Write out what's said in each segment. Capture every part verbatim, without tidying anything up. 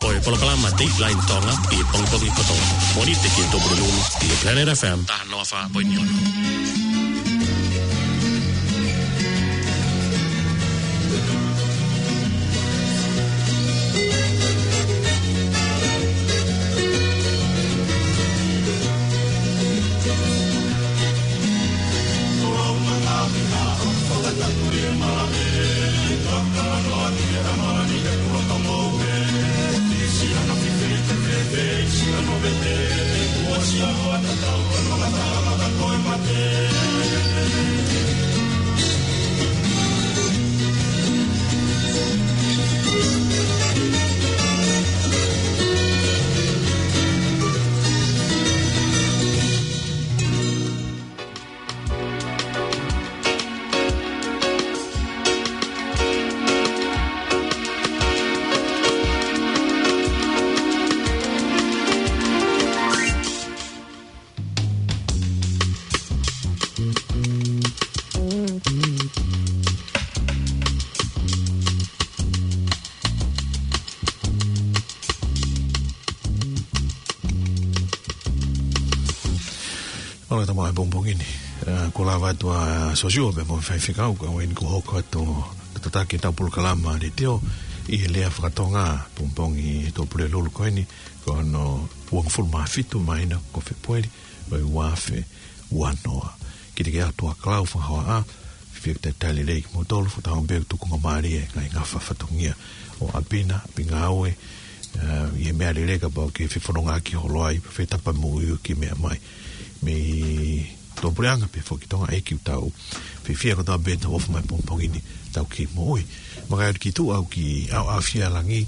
Ko e polokalama Dateline Tonga ʻi he pongipongi kotoa. Mōnite ki he Tupulelulu ʻi he Planet F M taha noa fā poini ono. Mālō e tama e pongipongi ni. Ā, kuo lava atu ʻa Sosiua pea mo e faifekau, ka ʻoku ʻi ai eni kuo hoko atu ʻo tataki ʻetau polokalama letiō ʻi he lea fakatonga pongipongi ʻi he Tupulelulu ko eni, ko hono uofulu mā fitu māhina ko Fēpueli ʻo e ua afe ua noa. Kiate koe ʻa Tuʻa Kalau Fakahoaʻa, fiefia ke talitali lelei kimoutolu, fakatauange pē ʻoku tukunga mālie e ngaahi ngafa fatongia ʻo ʻapi na, ʻapi ngāue, ā, ʻi he meʻa lelei kapau ʻoku ke fefonongaʻaki holo ai, pe fetapa mo ui ki he meʻa mai. Mei tuʻapuleʻanga pē foki Tonga ʻEiki ʻoku tau fiefia kotoa pē ʻetau ofi mai pongipongi ni ʻetau kei moʻui. Maka atu ki tuʻa ʻoku kei ʻaoʻaofia e langi,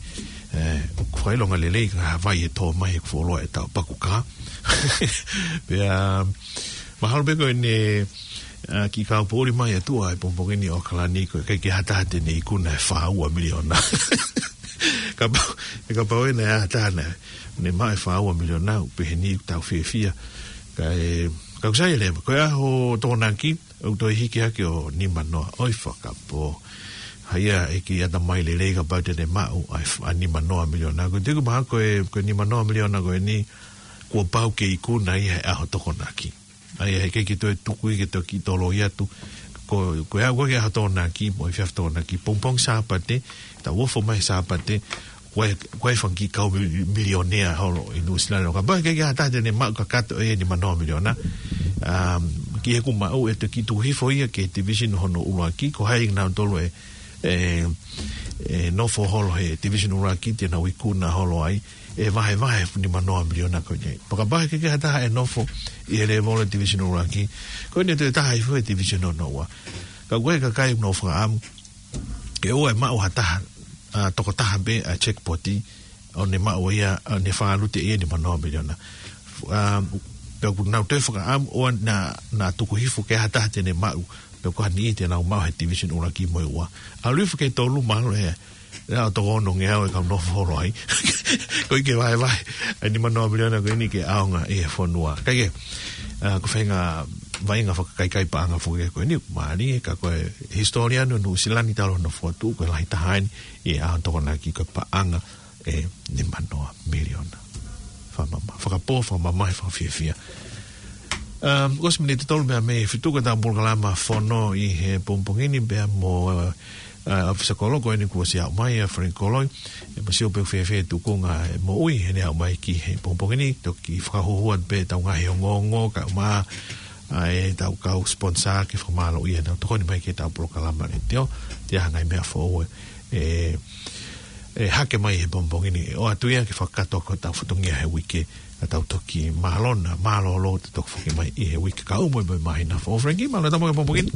ē, ʻoku fakaʻilonga lelei ka havai e tō mai ʻoku fuoloa ʻetau paku kā. Pea, mahalo pē ko eni, ā, kiʻi kaupoʻuli mai ʻa tuʻa he pongipongi ni ʻo ʻAokalani ko e ʻikai ke ʻi ai ha taha te ne ikuna e fā ua miliona. Kapau, ē kapau ʻe ʻi ai ha taha naʻa ne maʻu e fā ua miliona, ʻoku pehē ni ʻoku tau fiefia. Ka ʻe, ka ʻoku sai leva, ko e ʻaho Tokonaki, ʻoku toe hiki hake ʻo nima noa, ʻoi fakapō. Haia e kiʻi ʻatamai lelei kapau te ne maʻu ʻa e f-, ʻa e nima noa miliona. Ko e tuku mahalo ko e, ko e nima noa miliona ko eni, kuo pau ke ikuna ia he ʻaho Tokonaki. ʻA ia heʻikai ke toe tuku ia ke toe kiʻi toloi atu. Ko, ko e ʻaho ko ē ki he ʻaho Tokonaki, mo e efiafi Tokonaki, pongipongi Sāpate, tau ofo mai Sāpate, ko e, ko e fanga kiʻi kau mil-, milionea holo ʻi Nuʻusila ni. Kapau ʻe ʻikai ke ʻi ai ha taha te ne maʻu kakato e nima noa miliona. Um, ki he ʻoku maʻu ʻe toe kiʻi tuku hifo ia ki he division hono ʻuluaki, ko hai kinautolu ʻe, ʻe, ʻe nofo holo he division ʻuluaki te nau ikuna holo ai, ʻe vahevahe e nima noa miliona ko eni. Pea kapau ʻe ʻikai ke ʻi ai ha taha ʻe nofo ʻi he lēvolo division ʻuluaki, ko eni ʻe toe taha hifo he division hono ua. Ka ko e kakai ʻoku nau fakaʻamu ke ʻoua ʻe maʻu ha taha, ā, tokotaha pē ʻa e jackpot, ʻo ne maʻu ia, ʻo ne fakalute ia e nima noa miliona. Ā, pea ʻoku nau toe fakaʻamu ʻoua naʻa, naʻa tuku hifo ke ʻi ai ha taha te ne maʻu, pea ko ha niʻihi te nau maʻu he division ʻuluaki mo e ua. ʻAlu hifo ki he tolu mahalo ʻe, ʻe ʻalu ʻo toko ono ngeau e kau nofo holo ai. Koeʻuhi ke vahevahe e nima noa miliona ko eni ke ʻaonga ʻi he fonua. Kae kehe, ā, ko e faʻahinga vaʻinga fakakaikaiʻanga foki ko eni, mālie, ka ko e hisitōlia ʻo Nuʻusila ni talu hono fokotuʻu, ko e lahi taha eni ʻi he ʻaho Tokonaki ko e paʻanga e nima noa miliona. Fakamamahi, fakapō, fakamamahi, fakafiefia. Um, kuo ʻosi miniti tolu pē mei he fitu ko ʻetau polokalama Fono ʻi he pongipongi ni pea mo, uh, uh, ʻofisa kolo ko eni kuo ʻosi aʻu mai ʻa Frank Koloi. ʻE, mou sio pē ʻoku fēfē e tuʻunga e moʻui heʻene aʻu mai ki he pongipongi ni, toki fakahuhu atu pē ʻetau ngaahi ongoongo, kae ʻumaʻā ʻa ʻetau kau sponsor ke fakamālōʻia heʻenau tokoni mai ki heʻetau polokalama letiō, ʻi he ngaahi meʻa foʻou ʻe, ʻe, ʻe hake mai he pongipongi ni, ʻoatu ia ke fakakakato ʻaki hotau fatongia he uike, ka tau toki mālō na, mālōlō te toki foki mai ʻi he uike kaeʻumaʻā mo e māhina foʻou. Frankie, mālō e tama he pongipongi ni.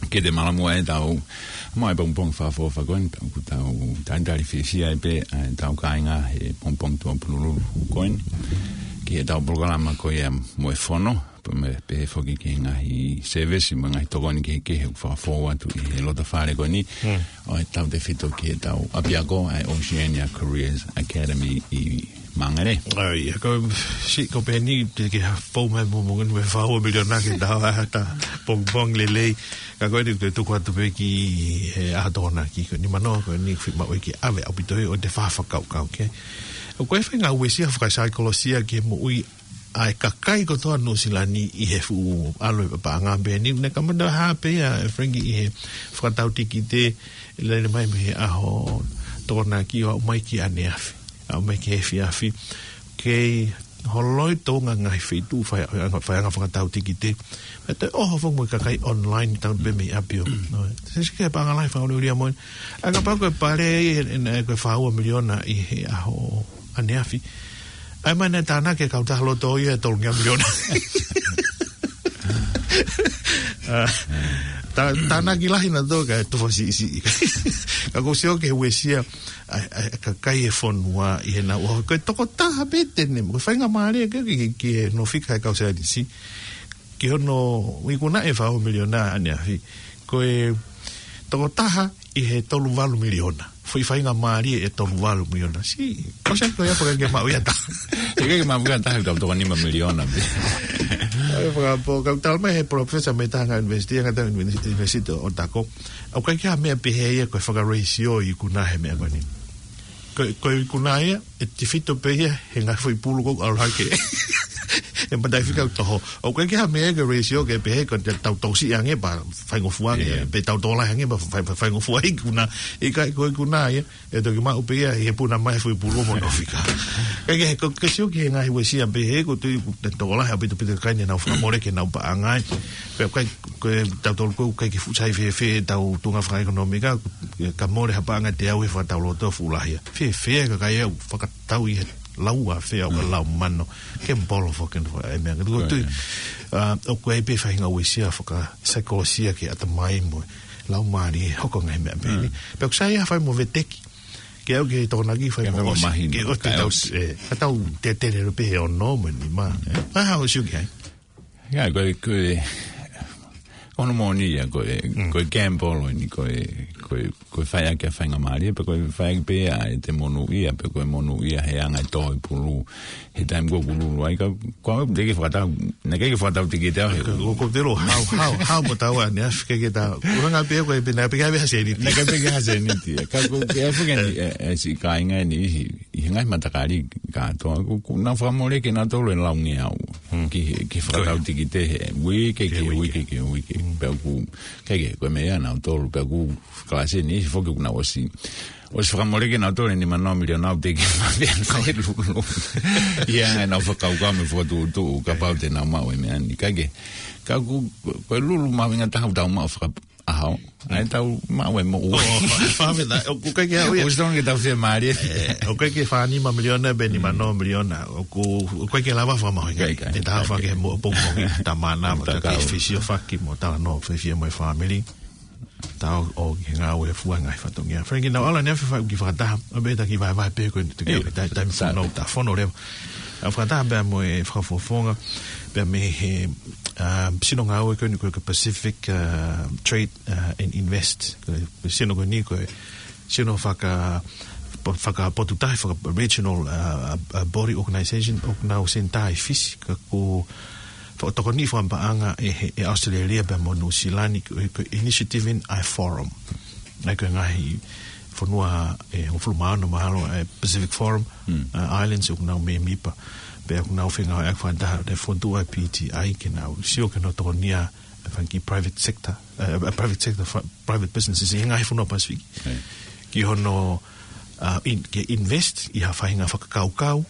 Kiate mālō muʻa ʻetau, mo e pongipongi fakaʻofoʻofa ko eni, ʻoku tau talitali fiefia ai pē, ʻa ʻetau kāinga he pongipongi Tuʻapulelulu ko eni. Ki heʻetau polokalama ko ia mo e Fono, pea mo e pehē foki ki he ngaahi sēvesi mo e ngaahi tokoni kehekehe ʻoku fakafou atu ʻi he loto fale ko eni. Hmm. ʻO ʻetau tefito ki heʻetau ʻapiako, ʻa e Oceania Careers Academy ʻi Māngere. ʻAi, ko, si, ko peni, te ke ha fou mai mo, mo, mo fau miliona ke tau ʻata, pong, pong lelei. Ka ko eni te tuku atu pē ki he ʻaho Tokonaki, ko eni mano, ko eni fai maʻu ʻe ke ʻave ʻaupito ʻo te fakakaukau, ke. Ko e feinga uesia fakasaikolosia ke moʻui ʻa e kakai kotoa Nuʻusila ni ʻi he fuʻu ʻalu ʻa e paʻanga pē ni, ne kamata ha pē ia, ʻe Frankie, ʻi he fakatau tikite, lele mai mei he ʻaho Tokonaki ʻo aʻu mai ki ʻaneafi. Aʻu mai ki he efiafi. Kei holoi Tonga ngaahi feituʻu fai, faiʻanga fakatau tikite. Pea toe ʻoho foki mo e kakai online tau pē mei ʻapi ʻo. No, se sike paʻanga lahi fakaʻuliʻulia mo. ʻA kapau ko e pale ʻe, ʻe, ʻe ko e fā ua miliona ʻi he ʻaho ʻaneafi. ʻAi mai ne tānaki e kautaha loto ia ʻe tolungeau miliona. ʻA, tā, tānaki lahi naʻa tō ka tufa siʻisiʻi. Ka ʻoku ou sio ki he uesia ʻa, ʻa, ʻa e kakai e fonua ʻi he nau. Ko e tokotaha pē te ne, ko e faingamālie ke, ke, ke, ke nofo fika he kau saienisi. Ki hono ikuna ʻe fā ua miliona ʻaneafi. Ko e tokotaha ʻi he tolu valu miliona. Foʻi faingamālie ʻe tolu valu miliona. Si, ko se ko ia paka ke maʻu ia ta. Ke ke maʻu ia ta, ka toko nima miliona. ʻAi, fakapō, ka tala mai he professor mei he ngaahi university, ngaahi university ʻo Tako. ʻOku ʻikai ke ha meʻa pehē ia ko e fakaratio ikuna he meʻa ko eni. Ko, ko e ikuna ia, ʻe tifito pē ia, he ngaahi foʻi pulu ko ʻalu hake. ʻE matai fika ʻoku toho. ʻOku ʻikai ke ha meʻa ke ratio ke pehē ko te tau tausi ange pea faingofua ange, pe tau tō lahi ange pea fai, fai, faingofua ikuna. ʻIkai ko ikuna ia, ʻe toki maʻu pē ia, he puna mai foʻi pulu mo nofo fika. Ka ke, ko, ke sio ki he ngaahi uesia pehē, ko tui, ʻoku tō lahi ʻaupito pito kakai ne nau fakamole ke nau paʻanga ai. Pea kai, ko e tau tolu ko, kai ke fuʻu sai fēfē, tau tuʻunga fakaʻekonōmika, ka mole ha paʻanga te au he fakatau loto fuʻu lahi. Fēfē, kakai au, faka tau ʻi he lau a fea o ka lau mano, ke bolo foki no e meʻa. Ko tui, ʻa, ʻoku ʻi ai pē fainga uesia fakasaikolosia ke ʻatamai mo e lau mali e hoko ngaahi meʻa pē ni. Pea ʻoku sai ia fai mo veteki. Ke au ke Tokonaki fai mo osi. Ke ʻosi te tau, ʻe, ka tau te tele lo pē he ono mo e nima. ʻA, ʻosi ʻoku ʻi ai. Ia, ko e, ko e, ono moni ia, ko e, ko e gamble eni, ko e, ko e, ko e fai ake ʻa e faingamālie, pe ko e fai ake pē ʻa e te monūʻia, pe ko e monūʻia he anga e tō e pulu, he taimi ko ʻoku lulu ai, ka, ko au, te ke fakatau, naʻe ʻikai ke fakatau tikite au, he. Ko, ko te lo, hau, hau, hau mo tau ʻaneafi ke ke tau, ko hanga pē ko e pē naʻe ʻikai pē ke ha seniti. Naʻe ʻikai pē ke ha seniti, ka ko, ke ai fuke ni, e, e, si kāinga ni, ʻi he ngaahi matakali kātoa, ʻoku, ʻoku nau fakamole ke nau tolo e laungeau. Ki he, ki he fakatau tikite he uike, ki he uike, ki he uike. Pea ʻoku, ke, ke, ko e meʻa nau tolo, pea ʻoku kalasi ni, foki ʻoku nau ʻosi. ʻOsi fakamole ke nau tolo, ni mano miliona au te ke mapea fai lulu. Ia, nau fakakaukau mo e fakatuʻutuʻu, kapau te nau maʻu e meʻa ni. Ka ke, ka ʻoku, ko e lulu mahuʻinga taha ʻoku tau maʻu faka, ʻaho. ʻAi tau maʻu e moʻui. ʻO, fāmena, ʻoku ʻikai ke au ia. ʻOsi tonu ke tau fiemālie. ʻE, ʻoku ʻikai ke fā nima miliona, pe nima noa miliona. ʻOku, ʻoku ʻikai ke lava fakamahuʻinga. ʻIkai, ʻikai. ʻE taha faka ke mo, pongipongi, tamana, mo ta ke fisiofaki, mo talanoa, fiefia mo e fāmili. Tau ō ki he ngāue fua ngaahi fatongia. Frankie, nau ʻalu ʻaneafi fai ki fakataha. ʻO pē ta ki vaevae pē ko e te ke, taimi fanau, ta fono leva. ʻA fakataha pea mo e fakafofonga, pea mei he, ʻa, sino ngāue ko eni ko e Pacific, ʻa, Trade, ʻa, and Invest. Ko e sino ko eni ko e sino faka, fakapotuta, faka-regional, ʻa, ʻa, ʻa, body organization, ʻoku nau senitā ʻi Fisi, ka ʻoku fakatokoni fakapaʻanga ʻe he, ʻe ʻAositelēlia pea mo Nuʻusila ni, ko e, ko e Initiative in ʻa e Forum. ʻA ia ko e ngaahi fonua ʻe hongofulu mā ono mahalo ʻa e Pacific Forum, ʻa, Islands ʻoku nau mēmipa. Pea ʻoku nau fengāueʻaki fakataha ʻa e fonua ʻa e P T I ke nau sio ke nau tokonia ʻa e fanga kiʻi private sector, ʻa, ʻa, private sector, fa-, private businesses ʻi he ngaahi fonua Pasifiki. Ki hono, ʻa, in-, ke invest ʻi ha faʻahinga fakakaukau,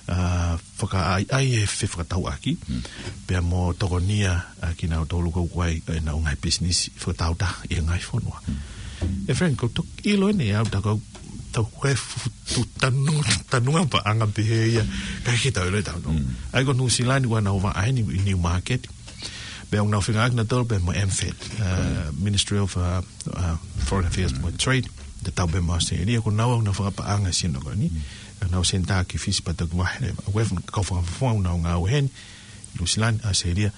ʻa, fakaʻaiʻai e fefakatauʻaki, pea mo tokonia ʻa kinautolu ko ē ʻoku ʻi ai ʻenau ngaahi pisinisi fakataautaha ʻi he ngaahi fonua. ʻE Frank, ko e toki ʻilo eni au ta kau, tau ko e futu tanu, tanunga paʻanga pehē ia, ʻikai ke tau ʻilo ʻe tautolu. ʻA ia ko Nuʻusila ni ʻoku nau vaʻa eni ʻi Newmarket. Pea ʻoku nau fengāueʻaki nautolu pea mo e MFAT, ʻa, Ministry of, ʻa, ʻa, Foreign Affairs mo Trade, te tau pea mo ʻAositelēlia, ko nau ʻoku nau fakapaʻanga sino ko eni. ʻOku nau senitā ki Fisi pea toki vahe leva. ʻOku ʻi ai e kau fakafofonga ʻoku nau ngāue heni, Nuʻusila ni, ʻAositelēlia.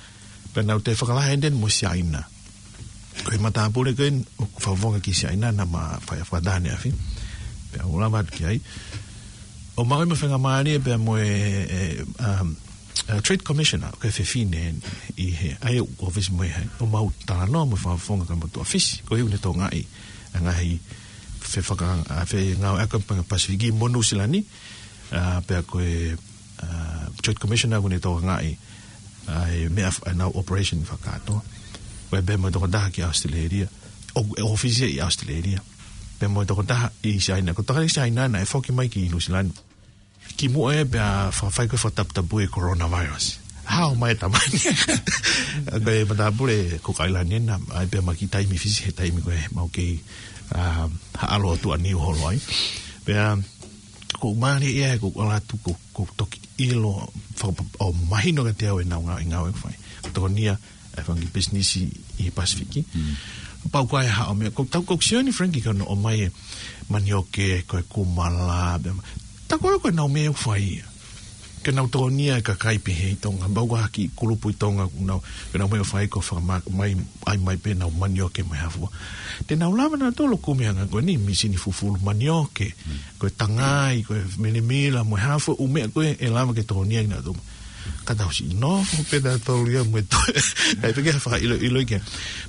Pea nau toe fakalahi eni mo Siaina. Ko e matāpule ko eni, ʻoku fakafofonga ki Siaina, naʻa ma fai fakataha ʻaneafi. Pea u lava atu ki ai. ʻOmai mo e faingamālie pea mo e, e, um, e, Trade Commissioner, ko e fefine ʻi he, ʻa ia ʻoku ʻōfisi mo ia he, ʻomai ʻo talanoa mo e fakafofonga kau motuʻa Fisi, ko ia ʻoku ne tokangaʻi ʻa e ngaahi fefaka-, ʻa e fengāueʻaki ʻa e Pasifiki mo Nuʻu Sila ni, ʻa, pea ko e, ʻa, Trade Commissioner ʻoku ne tokangaʻi ʻa e meʻa f-, ʻenau operation fakakātoa. Ko ia pea mo e tokotaha ki ʻAositelēlia, ʻo, ʻe ʻōfisi ʻi ʻAositelēlia. Pea mo e tokotaha ʻi Siaina, ko e tokotaha ʻi Siaina naʻe foki mai ki Nuʻu Sila ni. Kimuʻa ia pea fakafai ko e fakataputapui e coronavirus. Hao mai e tamani. Ko e matāpule ko Kailani ena, ʻa ia pea ma kiʻi taimi Fisi he taimi ko ē mau kei, ʻa, haʻalo atu ʻa Niu holo ai. Pea, ko e mālie ia, ko e ʻalu atu, ko, ko e toki ʻilo, faka-, ʻo mahino kiate au ʻenau ngāue, ngāue ʻoku fai. Ko e tokonia, e fanga kiʻi pisinisi ʻi he Pasifiki. Mm. Pau ko e hā ʻo e meʻa, ko e tau ko e sio ni Frankie ko hono ʻomai e manioke, ko e kumala, pea ma-, tā ko ē ko ʻenau meʻa ʻoku fai ia. Ke nau tokonia e kakai pehē ʻi Tonga, pau ko e hā e kiʻi kulupu ʻi Tonga, nau, ke nau meʻa ʻoku fai ko e fakama-, mai, ʻai mai pē ʻenau manioke mo e hā fua. Te nau lava nautolu ʻo kumi ʻa e ngaahi ko eni, mīsini fufulu manioke, mm, ko e tangai, ko e milimila, mo e hā fua ʻū meʻa ko ē ʻe lava ke tokonia ʻe nautolu. Ka tau siʻi nofo pē nautolu ia mo e toe. ʻAi pē ke fakaʻiloʻilo ia.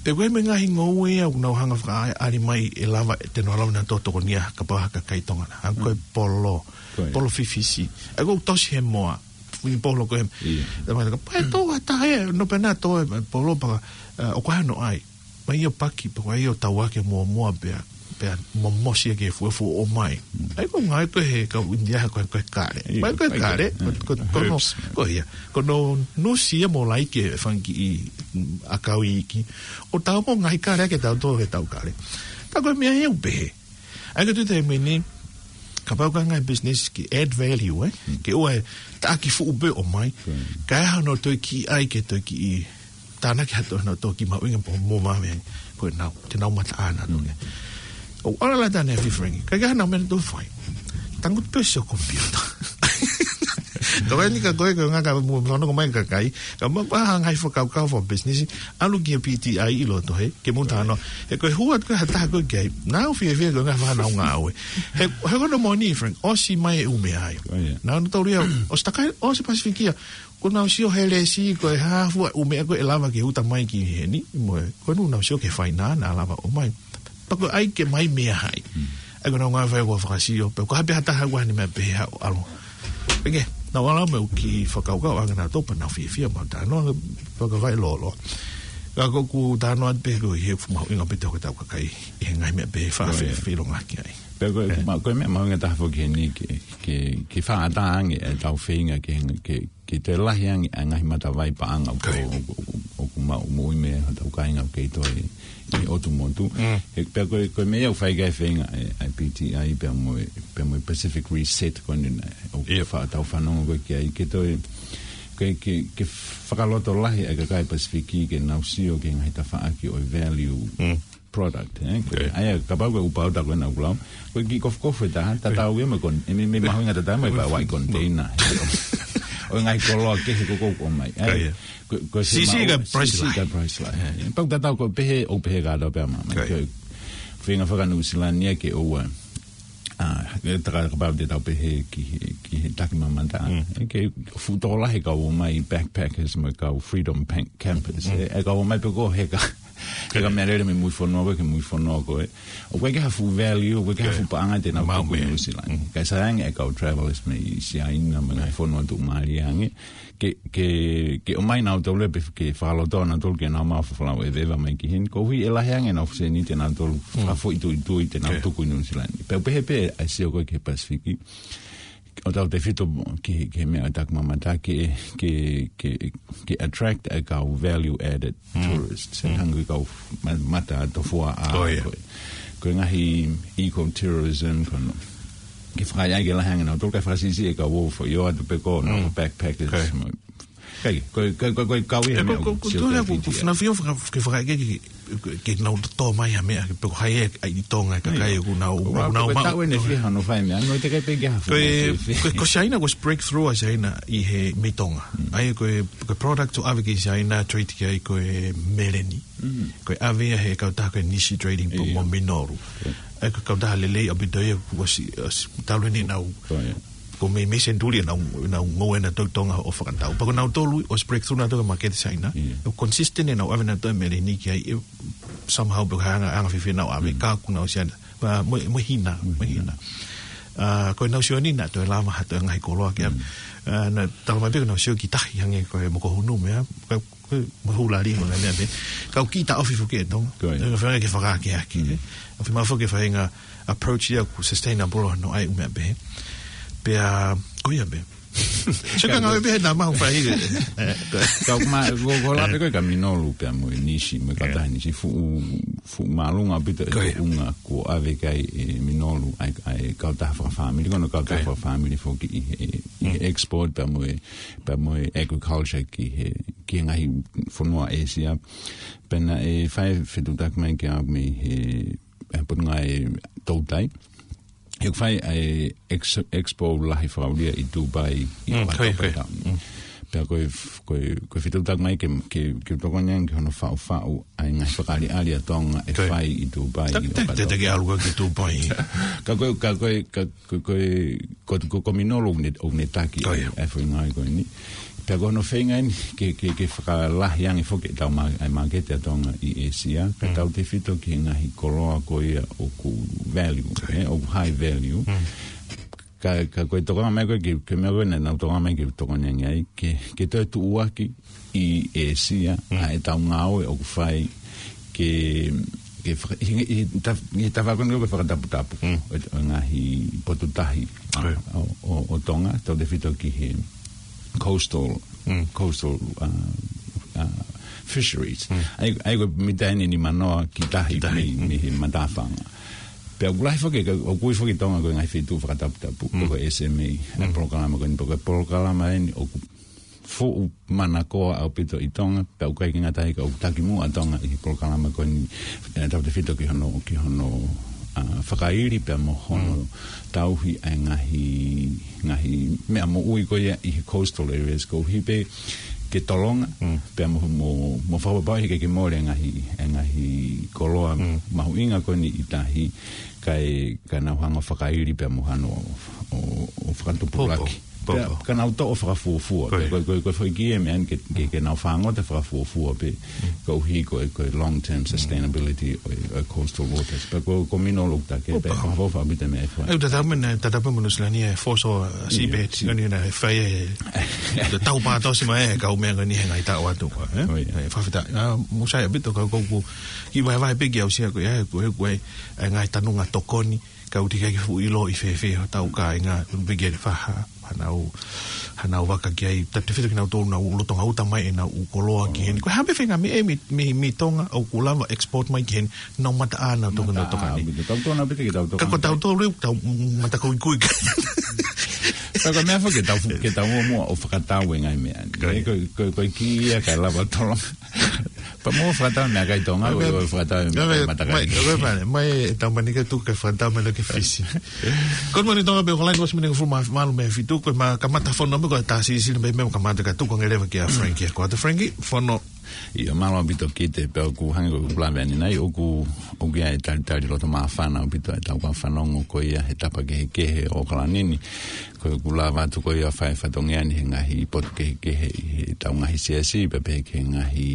Pea ko e meʻa ngaahi ngoue ia ʻoku nau hanga fakaʻaliʻali mai ʻe lava, te nau lava nautolu ʻo tokonia kapau ha kakai Tonga na. ʻA ko e, mm, polo. Ko ia. Polo fifisi. ʻA ia ko e tosi he moa. Fui polo ko e. Ia. Tama ka pae tō ha taha ē, nofo pē nautolu ʻo polo pea, ʻa, ʻoku ʻi ai hono ʻai. Mai ʻo paki, pea ko ia ʻo tau ake muʻomuʻa pea, pea momosi ʻaki e fuefueʻi ʻo ʻomai. Mm. ʻA ia ko e ngāue ko ē he kau ʻInitia ko e, ko e kale. Ia, mai ko e kale, ko e, ko e, ko e, ko e, herbs. Ko ia. Ko hono nusi ia mo laiki e fanga kiʻi, mm, ʻakau iiki. ʻO tau mo ngaahi kale ʻaki ʻetau tō he tau kale. Tā ko e meʻa ia ʻoku pehē. ʻA ia ko e tuʻu taimi ni, kapau ko e ngaahi business ke add value, ē? Mm. Ke ʻoua ʻe taʻaki fuʻu pē ʻo ʻomai. Mm. Kae ʻai hano toe kiʻi ʻai ke toe kiʻi tānaki ha toe, hano toe kiʻi mahuʻinga pea mo vave ko ʻenau, te nau mataʻina atu. Mm. ʻOku ʻalu ʻa e lata ʻanefine Frankie. Ka ʻikai ha meʻa ʻe toe fai. Tangutu pē ʻo sio computer. Ka ko eni ka ko e, ko e ngaahi ka mo, fanongo mai kakai. Ka ma, ma ngaahi fakakaukau fakabusiness. ʻAlu ki he P T I ʻi loto he, ke mou talanoa. He ko e hū atu ko ē ha taha ko ē ki ai. Naʻá ku fiefia ko e ngaahi fānau ngāue. He, he ko hono moʻoni Frank, ʻosi mai e ʻū meʻa ia. Oh, yeah. Naʻa nau taulia, ʻosi takai, ʻosi Pasifiki ia. Ko ʻenau sio he lesi, ko e hā fua ʻū meʻa ko ē ʻe lava ke uta mai ki heni, mo e, ko ʻenau sio ki he faina naʻa lava ʻo ʻomai. Pea ko e ʻai ke mai meʻa hai. Hmm. ʻA ia ko ʻenau ngāue fai ko e fakasio, pea ko ha pē ha taha ʻoku ʻi ai ha meʻa pehē ʻoku ʻalu. Pea ke, naʻa ku ʻalu mo e kiʻi fakakaukau ʻa e ngaahi tō pea naʻa ku fiefia mo talanoa, pea ka fai lolo. Ka ko ʻeku talanoa pē ko e he fuʻu mahuʻinga pē te hoko ʻetau kakai, ʻi he ngaahi meʻa pehē fakafe-, oh, yeah, feilonga ki ai. Pea ko e, yeah, ma-, ko e meʻa mahuʻinga taha foki heni ke, ke, ke fakaʻatā ange ʻetau feinga ke, ke, ke toe lahi ange ʻa e ngaahi matavai paʻanga ʻoku, okay, ʻoku, ʻoku, ʻoku maʻu moʻui mei hotau kāinga ʻoku kei tō ʻi, ʻi ʻotu motu. Mm. He pea ko e, ko e meʻa ia ʻoku fai ki ai e feinga ʻa e, ʻa e P T I pea mo e, pea mo e Pacific Reset ko eni naʻe, ʻoku, yep, faʻa tau fanongo ko ē ki ai ke toe, ke, ke, ke fakalotolahi ʻa e kakai Pasifiki ke nau sio ki he ngaahi tafaʻaki ʻo e value, mm, product, ē? Ko e, okay, ʻa ia, kapau ko e ʻū pauta ko ē naʻa ku lau. Ko e kiʻi kofukofu ē taha, tatau ia mo e kon-, ē, meʻa, meʻa mahuʻinga tatau mo e, okay, pea ʻai container. ʻO e ngaahi koloa kehe ko ē ʻoku ʻomai. Ē? Okay, yeah. Ko, ko e siʻisiʻi ka e Priceline. Siʻisiʻi ka e Priceline. Yeah. Ē, pau tatau ko e pehē, ʻoku pehē kātoa pea mā, mā. Okay. Ko e, feinga faka-Nuʻu Sila ni ia ke ʻoua. ʻA, ē, tā kapau te tau pehē ki he, ki he takimamata. Mm. Ē, ke fuʻu tokolahi e kau ō mai backpackers mo e kau Freedom Bank campers. Mm. Ē, e kau ō mai pē ko e heka. Heka meʻalele mei mui fonua ko ē ki mui fonua ko ē. ʻOku ʻikai ke ʻi ai ha fuʻu value, ʻoku ʻikai ke ʻi ai ha fuʻu paʻanga te nau tuku ʻi Nuʻu Sila. Mm. Kae sai ange e kau travelers mei Siaina, mei he fonua tuʻumālie ange. Ke, ke, ke ō mai nautolu pē ke fakalotoa nautolu ke nau maʻu ha folau ʻeveʻeva mai ki heni. Koeʻuhi ʻe lahi ange ʻenau fuʻu sēniti ʻa nautolu, mm, fakafoʻituitui te nau, okay, tuku ʻi Nuʻu Sila ni. Pea pehē pē ʻa e sio ko ē ki he Pasifiki. ʻO tautefito ki, ki he meʻa ʻa e takimamata ke, ke, ke, ke attract e kau value added, mm, tourists. Mm. Hangē ko e kau ma-, mata tofuaʻa, oh, yeah, ko e, ko e ngaahi ecotourism, ko hono. Ke fakaʻaiʻai ke lahi ange nautolu, kae fakasiʻisiʻi e kau ō foʻi ō atu pē ko ē, nau, mm, backpackers, okay, mo. Kai, ko, ko, ko, ko e kau ia, ē, meʻa ko, ko, ko, sio tole ki a ku, P T I. Funa fio faka-, ke fakaʻeke ke, ke, ke nau tō mai ha meʻa, ke pē ko hai ē ʻi Tonga, ka, ai, kai ʻoku nau, ko, ʻoku nau ko e maʻu. Taʻu eni fiha hono fai meʻa, no te kai pē ke ha ko e, fua, ko e, ko Siaina, ko e breakthrough ʻa Siaina ʻi he mei Tonga. Mm. ʻA ia ko e, ko e product ʻoku ʻave ki Siaina, trade ki ai ko e meleni. Mm. Ko e ʻave ia he kautaha ko e Nishi Trading, ʻio, mo Minoru. ʻIo. ʻA ia ko e kautaha lelei ʻaupito ia, kuo ʻosi, ʻosi talu eni ʻenau, ko ia, Ko e meimei senituli ʻenau, ʻenau ngoue naʻa nau tau ʻi Tonga ʻo fakatau. Pea ko nautolu, ʻosi breakthrough nautolu ki he maketi Siaina. ʻIo. ʻO consistent ʻenau ʻave nautolu e meleni ki ai, ʻe somehow pē ko e anga, anga fēfē ʻenau ʻave, ka ʻoku nau ʻosi ʻana. Pea mo e, mo e hina, mo e hina. ʻA, ko ʻenau sio ni naʻa toe lava ha toe ngaahi koloa ki ai. ʻA, naʻa tala mai pē ko ʻenau sio ki tahi hangē ko e mokohunu mo ia. Ka ko e mohu lali mo e meʻa pē. Ka ʻoku kiʻi taʻofi foki ʻe Tonga. Ko ia. Ko e faʻahinga ke fakaakeake. ʻOku fiemaʻu foki ke faʻahinga approach ia ʻoku sustainable ʻa hono ʻai ʻū meʻa pehē. Pea, ko ia pē. Sio ka ngāue pē he nā mahu fai. Ka ʻoku ma, ko, ko la pē ko e ka Minolu pea mo e Nisi, mo e ka tahi Nisi fuʻu, fuʻu māʻolunga ʻaupito e tuʻunga kuo ʻave ki ai ʻe Minolu ʻa e, ʻa e kautaha fakafāmili, ko hono kautaha fakafāmili foki ʻi he, ʻi he export pea mo e, pea mo e agriculture ki he, ki he ngaahi fonua ʻĒsia. Pea naʻe fai fetuʻutaki mai ki ai mei he, he Potungāue Toutai. ʻOku fai ʻa e ex-, expo lahi fakaulia ʻi Dubai ʻi ʻOkatopa taʻu ni. Pea ko e f-, ko e, ko e fetuʻutaki mai ke, ke, ke tokoni ange ki hono faʻufaʻu ʻa e ngaahi fakaʻaliʻali ʻa Tonga ʻe fai ʻi Dubai ʻi ʻOkatopa. Te, te, te ke ʻalu ki Dubai. Ka ko e, ka ko e, ka ko e, ko e, ko, ko, ko Minolu ʻoku ne, ʻoku ne taki ʻa e foʻi ngāue ko eni. Pea ko hono feinga eni ke, ke, ke fakalahi ange foki ʻetau ma-, ʻa e māketi ʻa Tonga ʻi ʻĒsia. Pea tautefito ki he ngaahi koloa ko ia ʻoku value, ʻoku high value. Ka, ka ko e tokanga mai ko e ke, ke meʻa ko e naʻa nau tokanga mai ke tokoni ange ai, ke, ke toe tuʻuaki ʻi ʻĒsia ʻa ʻetau ngāue ʻoku fai ke, ke faka-, ʻi, ʻi, ta-, ʻi he tafaʻaki ko eni ʻoku fakataputapu ʻo, ʻo e ngaahi potu tahi ʻo, ʻo, ʻo Tonga, tautefito ki he coastal, coastal, uh, uh, fisheries. ʻA ia, ʻa ia ko e mita ʻe nimanoa ki tahi, ki tahi, mei, mei he matāfanga. Pea ʻoku lahi foki, ka, ʻoku ui foki Tonga ko e ngaahi feituʻu fakataputapu, ko e S M A, ʻa e polokalama ko eni, pea ko e polokalama eni ʻoku fuʻu manakoa ʻaupito ʻi Tonga, pea ʻoku ʻikai ke ngata ai ka ʻoku takimuʻa Tonga ʻi he polokalama ko eni, ʻe, tautefito ki hono, ki hono, ʻa, fakaili pea mo hono tauhi ʻa e ngaahi, ngaahi meʻa moʻui ko ia ʻi he coastal areas koeʻuhi pē ke tolonga, pea mo, mo, mo fakapapauʻi he ʻikai ke mole e ngaahi, e ngaahi koloa mahuʻinga ko eni ʻi tahi, kae, kae nau hanga ʻo fakaili pea mo hano ʻo, ʻo, ʻo fakatupulaki. Pea ka nau toʻo fakafuofua. Ko e, ko e, ko e foʻi kī ʻeni ke, ke, ke nau fāngota fakafuofua pē. Koeʻuhi ko e, ko e long-term sustainability ʻo e, ʻo e coastal waters. Pea ko, ko Minolu ʻoku take, pea ko e fakafuofua ʻaupito e meʻa ʻe fai. ʻE, ʻoku tatau mo ʻena, tatau pē mo Nuʻusila ni e foso, ʻa, seabed, ko eni naʻe fai e, te tau pātosi mai e kau meʻa ko eni he ngaahi taʻu atu, ʻe? ʻE, fakafetaʻi. ʻA, mou sai ʻaupito ka ʻoku, ʻoku kiʻi vahevahe pē ke aʻusia ko e, ko e, ko e, ʻa e ngaahi tanunga tokoni, ka ʻoku teʻeki ai ke fuʻu ʻilo ʻi fēfē hotau kāinga, ʻoku teʻeki ai ke faha, hanau, hanau vaka ki ai, tautefito kinautolu naʻa nau lolotonga uta mai ʻenau ʻū koloa ki heni. Ko e hā pē faʻahinga meʻa mei, mei, mei Tonga, ʻoku lava export mai ki heni, nau mataʻā nautolu, nautolu ni. Ka ko tautolu, tau matakuikui. Ka ko e meʻa foki ke tau, ke tau muʻomuʻa ʻo fakatau e ngaahi meʻa ni. Ko e, ko e, ko e kī ia kae lava tolonga. Pea mou fakatau meʻakai Tonga, ʻo, ʻo fakatau meʻakai matakai. Mai, mai, mai, mai, e tau mani ka tuku ke fakatau mai loki Fisi. Good morning, Tonga, pea ko e laine ʻosi miniti hongofulu mā valu mei he fitu, ko e ma-, kamata fono mo ko e tā sisili mai mo kamata ka tuku ange leva kia Frankie, ko atu Frankie, fono. ʻIo, mālō ʻaupito Kite, pea ʻoku hangē ko ʻeku lave ʻanenai, ʻoku, ʻoku ʻi ai e talitali loto māfana ʻaupito ʻetau kau fanongo ko ia he tapa kehekehe ʻo ʻOkalani ni. Ko ʻeku lava atu ko ia ʻo fai fatongia ni he ngaahi potu kehekehe ʻi heʻetau ngaahi siasi, pea pehē ki he ngaahi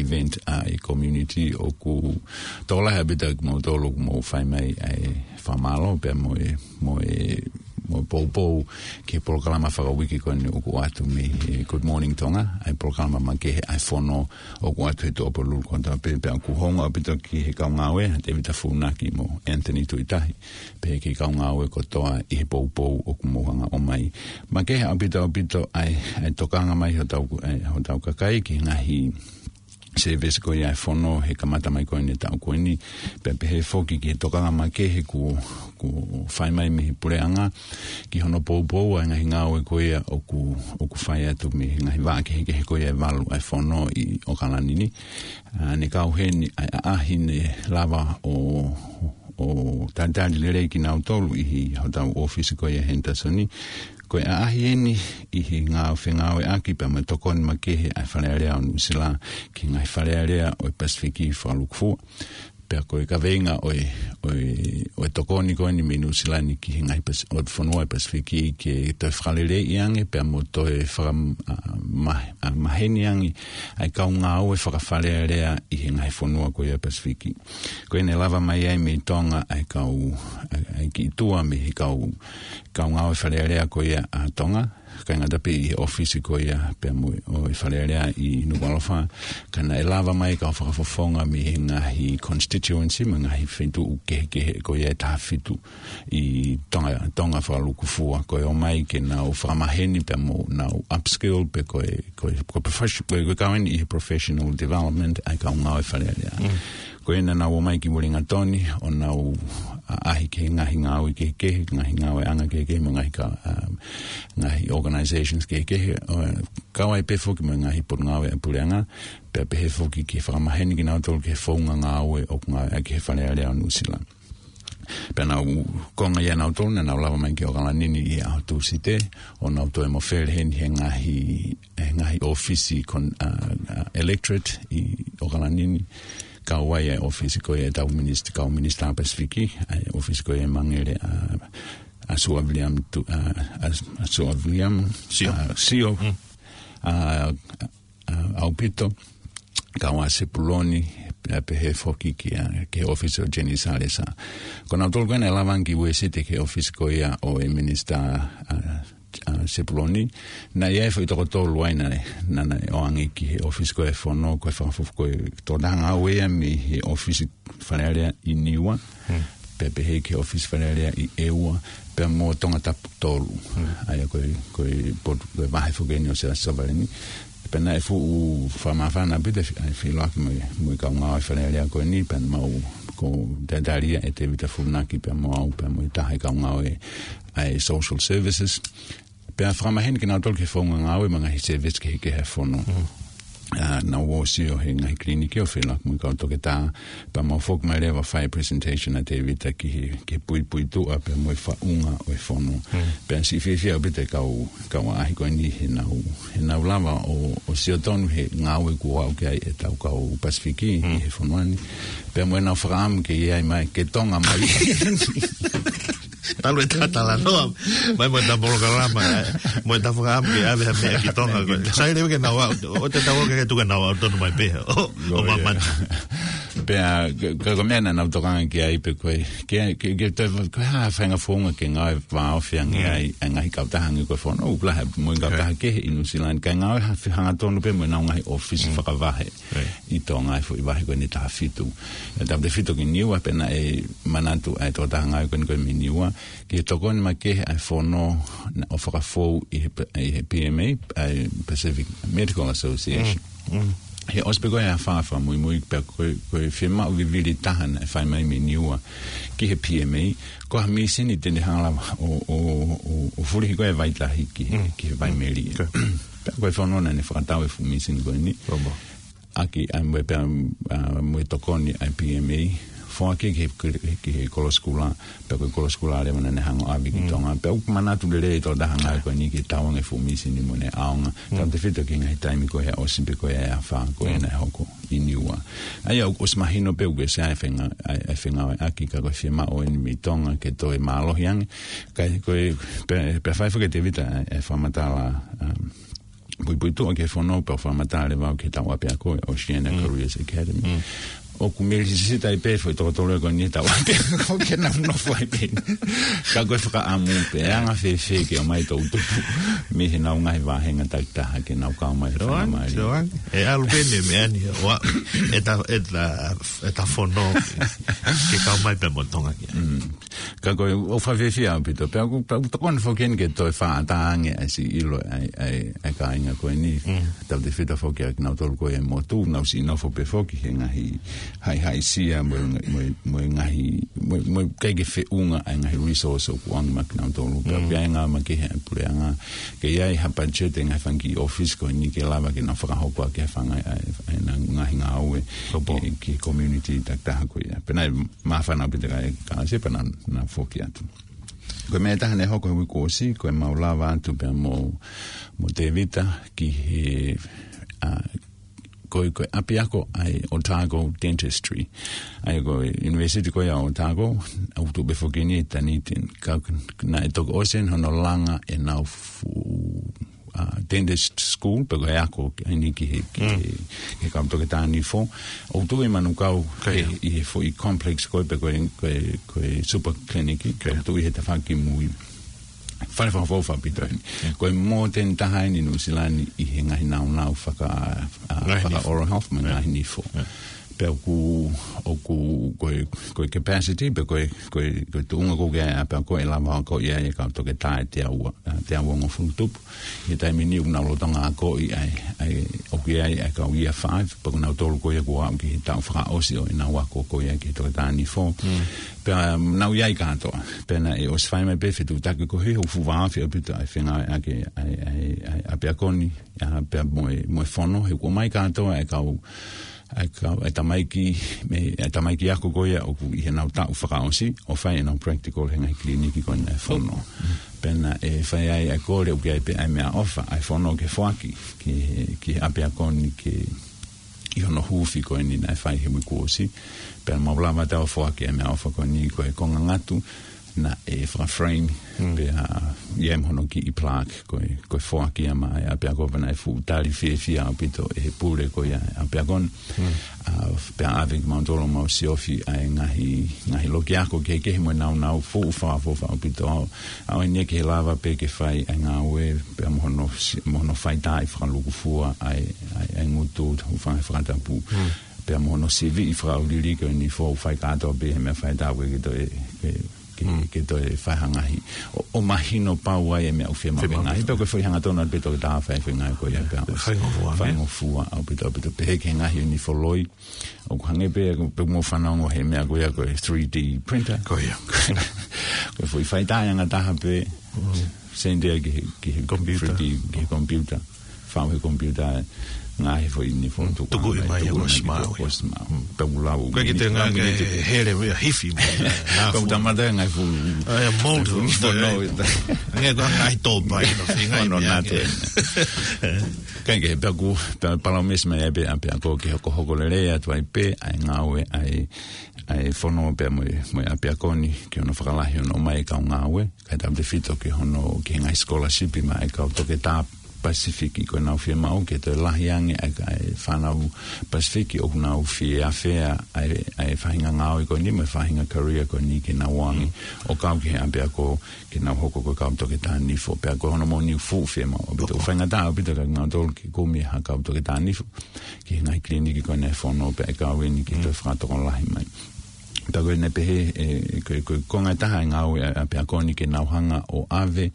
event ʻa e community, ʻoku tokolahi ʻaupito kimoutolu ʻoku mou fai mai ʻa e fakamālō pea mo e, mo e, mo e poupou ki he polokalama fakauike ko eni ʻoku ʻoatu mei he Good Morning Tonga, ʻa e polokalama makehe ʻa e fono ʻoku ʻoatu he Tuʻapulelulu kotoa pē, pea ʻoku hounga ʻaupito ki he kau ngāue, ʻa Tevita Funaki mo Anthony Tuʻitahi, pehē ki he kau ngāue kotoa ʻi he poupou ʻoku mou hanga ʻo ʻomai. Makehe ʻaupito, ʻaupito ʻa e, ʻa e tokanga mai hotau, ʻa e, hotau kakai ki he ngaahi service ko ia ʻa e fono he kamata mai ko eni e taʻu ko eni, pea pehē foki ki he tokanga makehe kuo, kuo fai mai mei he puleʻanga, ki hono poupou ʻa e ngaahi ngāue ko ia ʻoku, ʻoku fai atu mei he ngaahi vaʻa kehekehe ko ia ʻe valu ʻa e fono ʻi ʻOkalani ni. ʻA, ne kau heni ʻa e ʻaʻahi ne lava ʻo, ʻo talitali lelei kinautolu ʻi he hotau ʻōfisi ko ia Henderson. Ko e ʻaʻahi eni ʻi he ngāue fengāueʻaki pea mo e tokoni makehe ʻa e Fale Alea ʻo Nuʻusila ki he ngaahi fale alea ʻo e Pasifiki fakalukufua. Pea ko e kaveinga ʻo e, ʻo e, ʻo e tokoni ko eni mei Nuʻusila ni ki he ngaahi Pas-, ʻo e fonua ʻo e Pasifiki ke toe fakaleleiʻi ange, pea mo toe faka-, a, ma-, a, maheni ange ʻa e kau ngāue fakafalealea ʻi he ngaahi fonua ko ia Pasifiki. Ko eni ʻe lava mai ai mei Tonga ʻa e kau, ʻa e, ʻa e kiʻi tua mei he kau, kau ngāue falealea ko ia ʻa Tonga, ʻikai ngata pē ʻi he ʻōfisi ko ia pea mo e, ʻo e Fale Alea ʻi Nukuʻalofa, ka naʻe lava mai kau fakafofonga mei he ngaahi constituency, mo e ngaahi feituʻu kehekehe ko ia ʻe taha fitu ʻi Tonga, Tonga fakalukufua, ko e ō mai ke nau fakamaheni pea mo nau upskill pe ko e, ko e, ko e profession-, ko e, ko e kau eni ʻi he professional development ʻa e kau ngāue Fale Alea. Ko ia naʻa nau ō mai ki Uelingatoni, ʻo nau ʻaʻahi ki he ngaahi ngāue kehekehe, ngaahi ngāueʻanga kehekehe, mo e ngaahi ka-, um, ngaahi organizations kehekehe, ʻo kau ai pē foki mo e ngaahi potungāue ʻa e puleʻanga, pea pehē foki ke fakamaheni kinautolu ki he founga ngāue ʻoku ngāueʻaki ʻe he Fale Alea ʻo Nuʻusila. Pea naʻa nau konga ia nautolu, naʻa nau lava mai ki ʻOkalani ni ʻi he ʻaho Tūsite, ʻo nau toe mofele heni he ngaahi, he ngaahi ʻōfisi kon-, a, a, electorate ʻi ʻOkalani ni, kau ai ʻa e ʻōfisi ko ia ʻetau minisitā, kau minisitā Pasifiki, ʻa e ʻōfisi ko ia ʻe Mangele, a, ʻa Suʻa Viliami Tu-, a, a, ʻa Suʻa Viliami, Sio. A, Sio, a, a, ʻAupito, kau ʻa Sepuloni, pea pehē foki ki, a, ki he ʻōfisi ʻo Jenny Salesa. Ko nautolu ko ena ʻe lava ange ki Uēsite ki he ʻōfisi ko ia ʻo e minisitā, a, a, Sepuloni. Naʻe ʻi ai foʻi toko tolu ai naʻe, naʻa, naʻe ō ange ki he ʻōfisi ko e fono, ko e fakafofonga ko e tokotaha ngāue ia mei he ʻōfisi Fale Alea ʻi Niua, pea pehē ki he ʻōfisi Fale Alea ʻi ʻEua, pea mo Tongatapu tolu. ʻA ia ko e, ko e potu, ko e vahe foki eni ʻo Siaosi Savaleni. Pea naʻe fuʻu fakamāfana ʻaupito ʻa e feʻiloaki mo e, mo e kau ngāue Fale Alea ko eni, pea mau ko Tēvita Funaki, pea mo au, pea mo e taha e kau ngāue ʻa e social services. Pea fakamaheni kinautolu ki he founga ngāue mo e ngaahi service kehekehe ʻa e fono. A, naʻa nau ō ʻo sio he ngaahi kiliniki ʻo feʻiloaki mo e kau toketā, pea mau foki mai leva ʻo fai presentation ʻa Tēvita ki he, ki he puipuituʻa pea mo e faʻunga ʻo e fono. Pea siʻi fiefia ʻaupito e kau, kau ʻaʻahi ko eni he nau, he nau lava ʻo, ʻo sio tonu he ngāue kuo aʻu ki ai ʻetau kau Pasifiki ʻi he fonua ni. Pea mo ʻenau fakaʻamu ke ʻi ai mai, ke Tonga mai. Talu e ta talanoa mai mo e ta polokalama, e, mo e ta fakaʻamu ke ʻave ha meʻa ki Tonga ko ē. Sai leva ke nau aʻu, ʻo te tau ke tuku ke nau aʻu tonu mai pē ʻo, ʻo māmani. Pea, ka, ka ko e meʻa naʻa nau tokanga ki ai pē ko e, ke, ke, ke toe, ko e hā ha faʻahinga founga ke ngāue vāofi ange ai, ʻa e ngaahi kautaha ange ko e fono, ʻoku lahi mo e kautaha kehe ʻi Nuʻusila ni, kae ngāue ha, hangatonu pē mo ʻenau ngaahi ʻōfisi fakavahe ʻi Tonga, ʻa e foʻi vahe ko eni ʻe taha fitu. ʻE tautefito ki Niua, pea naʻe manatu ʻa e tokotaha ngāue ko eni ko ē mei Niua ki he tokoni makehe ʻa e fono naʻe fakafou ʻi he, ʻi he P M A, ʻa e Pacific Medical Association. He ʻosi pē ko e afā fakamuimui, pea ko e, ko e fiemaʻu vivili taha naʻe fai mai mei Niua ki he P M A, ko ha mīsini te ne hanga leva ʻo, ʻo, ʻo, ʻo fulihi ko ē e vaitahi ki he, ki he vai melie. Pea ko e fono naʻa ne fakatau e fuʻu mīsini ko eni. ʻAki ʻa e mo e pea, a, mo e tokoni ʻa e P M A, foaki ki he, ki he kolo sikula, pea ko e kolo sikula leva naʻa ne hanga ʻo ʻave ki Tonga. Pea ʻoku manatu lelei e tokotaha ngāue ko eni ki he tauange e fuʻu mīsini mo ʻene ʻaonga. Tautefito ki he ngaahi taimi ko ē ʻosi pē ko ē ʻa e afā ko ē naʻe hoko ʻi Niua. ʻA ia ʻoku ʻosi mahino pē ʻoku ʻi ai e fenga-, ʻa e, ʻa e fengāueʻaki, ka ko e fiemaʻu eni mei Tonga ke toe mālohi ange. Ka ko e, pea, pea fai foki ʻe Tēvita ʻa e, ʻa e fakamatala, um, puipuituʻa ki he fono, pea fakamatala leva au ki he tau ʻapiako, Oceania Careers Academy. ʻOku milisisita ai pē foʻi toko tolu ko eni he tau ʻapiako ke nau nofo ai pē. Ka ko e fakaʻamu pē, anga fēfē ke ʻomai toʻu tupu mei heʻenau ngaahi vāhenga takitaha ke nau kau mai he faingamālie. ʻE ʻalu pē eni e meʻa ni, ʻo aʻu e ta, e ta, e ta fono ke kau mai pē mo Tonga ki ai. Ka ko e, ʻoku fakafiefia ʻaupito. Pea ʻoku, ʻoku tokoni foki eni ke toe fakaʻatā ange ʻa e siʻi ʻilo ʻa e, ʻa e, ʻa e kāinga ko eni. Tautefito foki ʻa kinautolu ko ē ʻi he motu, nau siʻi nofo pē foki he ngaahi haʻihaʻisia mo e, mo e, mo e ngaahi, mo e, mo e ʻikai ke feʻunga ʻa e ngaahi resource ʻoku ʻoange maʻa kinautolu. Pea ʻoku ʻi ai e ngāue makehe ʻa e puleʻanga ke ʻi ai ha budget e ngaahi fanga kiʻi ʻōfisi ko eni ke lava ke nau fakahoko ʻaki ha fanga, ʻa e, ʻa e ngaahi ngāue ki he, ki he community takitaha ko ia. Pea naʻe māfana ʻaupito e kau kalasi pea naʻa nau foki atu. Ko e meʻa ʻe taha naʻe hoko he uike kuo ʻosi, ko ʻemau lava atu pea mo, mo Tēvita ki he, a, ko e, ko e ʻapiako ʻa e Otago Dentistry. ʻA ia ko e university ko ia ʻo Otago, ʻoku tuʻu pē foki eni ʻi Dunedin. Ka naʻe toki ʻosi eni hono langa ʻenau fuʻu, uh, dentist school, pe ko e ako eni ki he, ki he, ki he kau toketā nifo. ʻOku tuʻu ʻi Manukau, ʻi he foʻi complex ko ē, pe ko e, ko e, ko e super clinic, ʻoku tuʻu ʻi he tafaʻaki mui. Fale fakaʻofoʻofa ʻaupito eni. Ko e more than taha eni ʻi Nuʻu Sila ni ʻi he ngaahi naunau faka-, a, faka-oral health mo e ngaahi nifo. Pea ʻoku, ʻoku, ko e, ko e capacity, pe ko e, ko e, ko e tuʻunga ko ē ʻa e ʻapiako ʻe lava ʻo akoʻi ai e kau toketā ʻe teau, a, teau hongofulu tupu. ʻI he taimi ni ʻoku nau lolotonga akoʻi ai, ʻa e, ʻoku ʻi ai e kau year five, pea ko kinautolu ko ia kuo aʻu ki he taʻu fakaʻosi ʻo ʻenau ako ko ia ki he toketā nifo. Pea, um, nau ʻi ai kātoa. Pea naʻe ʻosi fai mai pē fetuʻutaki ko ē he ʻoku fuʻu vāofi ʻaupito ʻa e fengāueʻaki ʻa e, ʻa e, ʻa e, ʻa e ʻapiako ni, ʻa, pea mo e, mo e fono, he kuo ʻomai kātoa e kau, e kau, e tamaiki, mei, e tamaiki ako ko ia ʻoku ʻi heʻenau taʻu fakaʻosi, ʻo fai ʻenau practical he ngaahi kiliniki ko ena ʻa e fono. Pea naʻe fai ai e kole ʻoku ʻi ai pē ʻa e meʻaʻofa, ʻa e fono ke foaki, ki he, ki he ʻapiako ni ke ʻi hono huufi ko eni naʻe fai he uike kuo ʻosi. Pea mau lava ʻo foaki e meʻaʻofa ko eni ko e konga ngatu naʻe fakaframe, pea ʻi ai mo hono kiʻi plaque ko e, ko e foaki ia maʻa e ʻapiako pea naʻe fuʻu tali fiefia ʻaupito ʻe he pule ko ia ʻapiako ni. A, pea ʻave kimautolu ʻo mau siofi ʻa e ngaahi, ngaahi loki ako kehekehe mo e naunau fuʻu fakaʻofoʻofa ʻaupito. ʻA ia ʻoku ʻi ai ke lava pē ke fai ʻa e ngāue, pea mo hono si-, mo hono faitaaʻi fakalūkufua ʻa e, ʻa e, ʻa e ngutu, ʻo fai fakatapu. Pea mo hono siviʻi fakaʻauliliki ʻo e nifo ʻoku fai kātoa pē he meʻa faitaaʻi ke toe, ke, ke, ke toe fai ha ngaahi. ʻO, ʻo mahino pau ai e meʻa ʻoku fiemaʻu. Fiemaʻu. Ngaahi, pea ko e foʻi hangatonu pē toketā fai foʻi ngāue ko ia pea ʻosi. Faingofua, faingofua ʻaupito, ʻaupito. Pehē ki he ngaahi ʻo e nifo loi. ʻOku hangē pē, pea mou fanongo he meʻa ko ia ko e three D printer. Ko ia. Ko e foʻi faitaaʻi angataha pē. Send ia ki he, ki he computer. Three D, ki he computer. Fau he computer, ngaahi foʻi nifo tuku mai, tuku mai, ʻosi maʻu ia. ʻOsi maʻu. Pea ʻoku lau. Ko e kiʻi ngaahi miniti. Hele ia hifi mai. Pea ʻoku tamata ngaahi fuʻu. ʻA ia mold. Ngaahi tōpai, no, ngaahi meʻa. Kae kehe, pea ʻoku, pea palōmesi mai ai pē ʻapiako ke hokohoko lelei atu ai pē ʻa e ngāue ʻa e, ʻa e fono pea mo e, mo e ʻapiako ni, ki hono fakalahi hono ʻomai e kau ngāue, kae tautefito ki hono, ki he ngaahi scholarship maʻa e kau toketā Pasifiki ko ʻenau fiemaʻu ke toe lahi ange ʻa e, ʻa e fānau Pasifiki ʻoku nau fie afea ʻa e, ʻa e faʻahinga ngāue ko eni mo e faʻahinga career ko eni ke nau ō ange ʻo kau ki he ʻapiako ke nau hoko ko e kau toketā nifo. Pea ko hono moʻoni ʻoku fuʻu fiemaʻu ʻaupito. ʻOku faingataʻa ʻaupito kia kinautolu ke kumi ha kau toketā nifo ki he ngaahi kiliniki ko ena ʻa e fono pea ʻe kau eni ke toe fakatokolahi mai. Pea ko ena pehē, e, ko, ko e konga ʻe taha e ngāue ʻa e ʻapiako ni ke nau hanga ʻo ʻave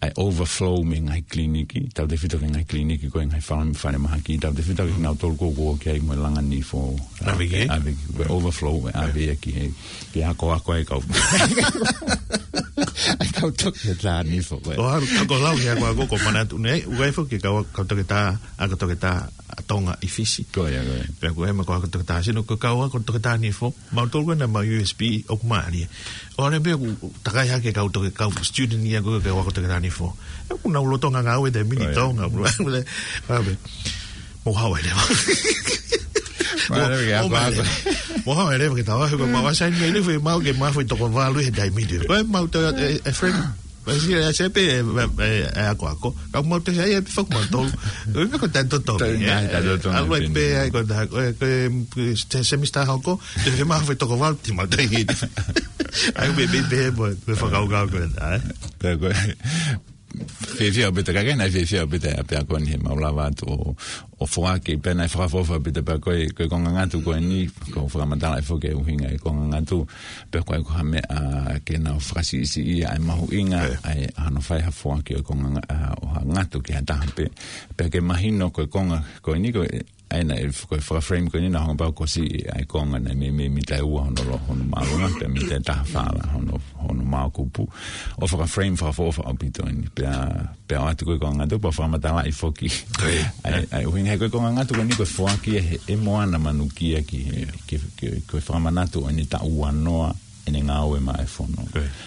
ʻa e overflow mei he ngaahi kiliniki, tautefito ki he ngaahi kiliniki ko e ngaahi fale, falemahaki, tautefito ki he kinautolu ko ē ʻoku ō ki ai mo e langa nifo. ʻAve ki ai? ʻAve ki ai, ko e overflow, ʻave ia ki he, ki he akoako ʻa e kau. ʻA e kau toketā nifo, ko e. ʻO hangē ko e lau ki he akoako ko Manatu nei, ʻoku ʻi ai foki e kau, kau toketā, ako toketā ʻa Tonga ʻi Fisi. Ko ia, ko ia. Pea ko e meʻa ko e ako toketā sino, ko e kau ako toketā nifo, mautolu ko ena maʻu U S P, ʻoku mālie. ʻO ne pē ʻoku takai hake kau toke, kau student ia ko e kau ako toketā nifo. ʻOku nau lolotonga ngāue he taimi ni ʻi Tonga. Mou haʻu ai leva. Mou haʻu ai leva ke tau, he ko e mau assign mai ni foʻi mau ke mau foʻi toko valu he taimi ni. Ko e mau tau, e, e friend. Pasi e ase pē, e, e, e, e akoako. Kau mau te sai e pē foki mautolu. Ko e meʻa ko e taimi totongi, ʻe, ʻalu ai pē ai ko e taha, ko e, ko e, ko e semester hoko, te ke mau foʻi toko valu, te mau te hiti. ʻA ia pē, pē, pē, mo, mo e fakakaukau ko ena, ē? Ko e, ko e, fiefia ʻaupito, ka ke na fiefia ʻaupito ʻa e ʻapiako ni he mau lava atu ʻo, ʻo foaki pē ʻa e fakaʻofoʻofa ʻaupito pea ko e, ko e konga ngatu ko eni, ko e fakamatalaʻi foki e ʻuhinga e konga ngatu, pea ko e ko ha meʻa ke nau fakasiʻisiʻi ʻa e mahuʻinga, ʻa e hano fai ha foaki ʻo e konga nga-, ʻa, ʻo ha ngatu ki ha taha pē, pea ke mahino ko e konga ko eni ko e, ʻa ia naʻe f-, ko e fakaframe ko eni naʻe hanga pē ʻo siʻi ʻa e konga naʻe meimei mita ʻe ua hono lo-, hono māʻolunga, pea mita ʻe taha fā lā hono, hono māʻokupu. ʻO fakaframe fakaʻofoʻofa ʻaupito eni. Pea, pea ʻoatu ko e konga ngatu, pea fakamatalaʻi foki. ʻA ia, ʻa e ʻuhinga he ko e konga ngatu ko eni ko e foaki ʻe he, ʻe Moana Manukia ki he, ki, ki, ko e fakamanatu ʻo ʻene taʻu ua noa, ʻene ngāue maʻa e fono.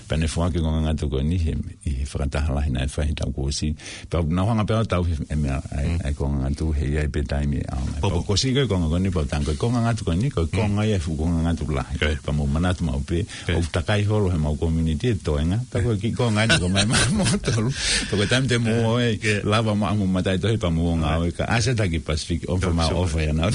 Pea ne foaki e konga ngatu ko eni he, ʻi he fakataha lahi naʻe fai he taʻu kuo ʻosi. Pea naʻa ku hanga pē au ʻo tauhi e meʻa ʻa e, ʻa e konga ngatu he ʻi ai pē taimi ʻe ʻaonga. Pea ko ʻosi ko e konga ko eni pea u tango ko e konga ngatu ko eni, ko e konga ia e fuʻu konga ngatu lahi. Pea mou manatu maʻu pē, ʻoku takai holo he mau community e toenga. Pea ko e kiʻi konga eni ko mai maʻa moutolu. Pea ko e taimi te mou ō ai, lava maʻa mo mataʻitohi pea mou ō ngāue ka ʻasi atu ki Pacific, ʻofa mai ʻofa ia naʻa.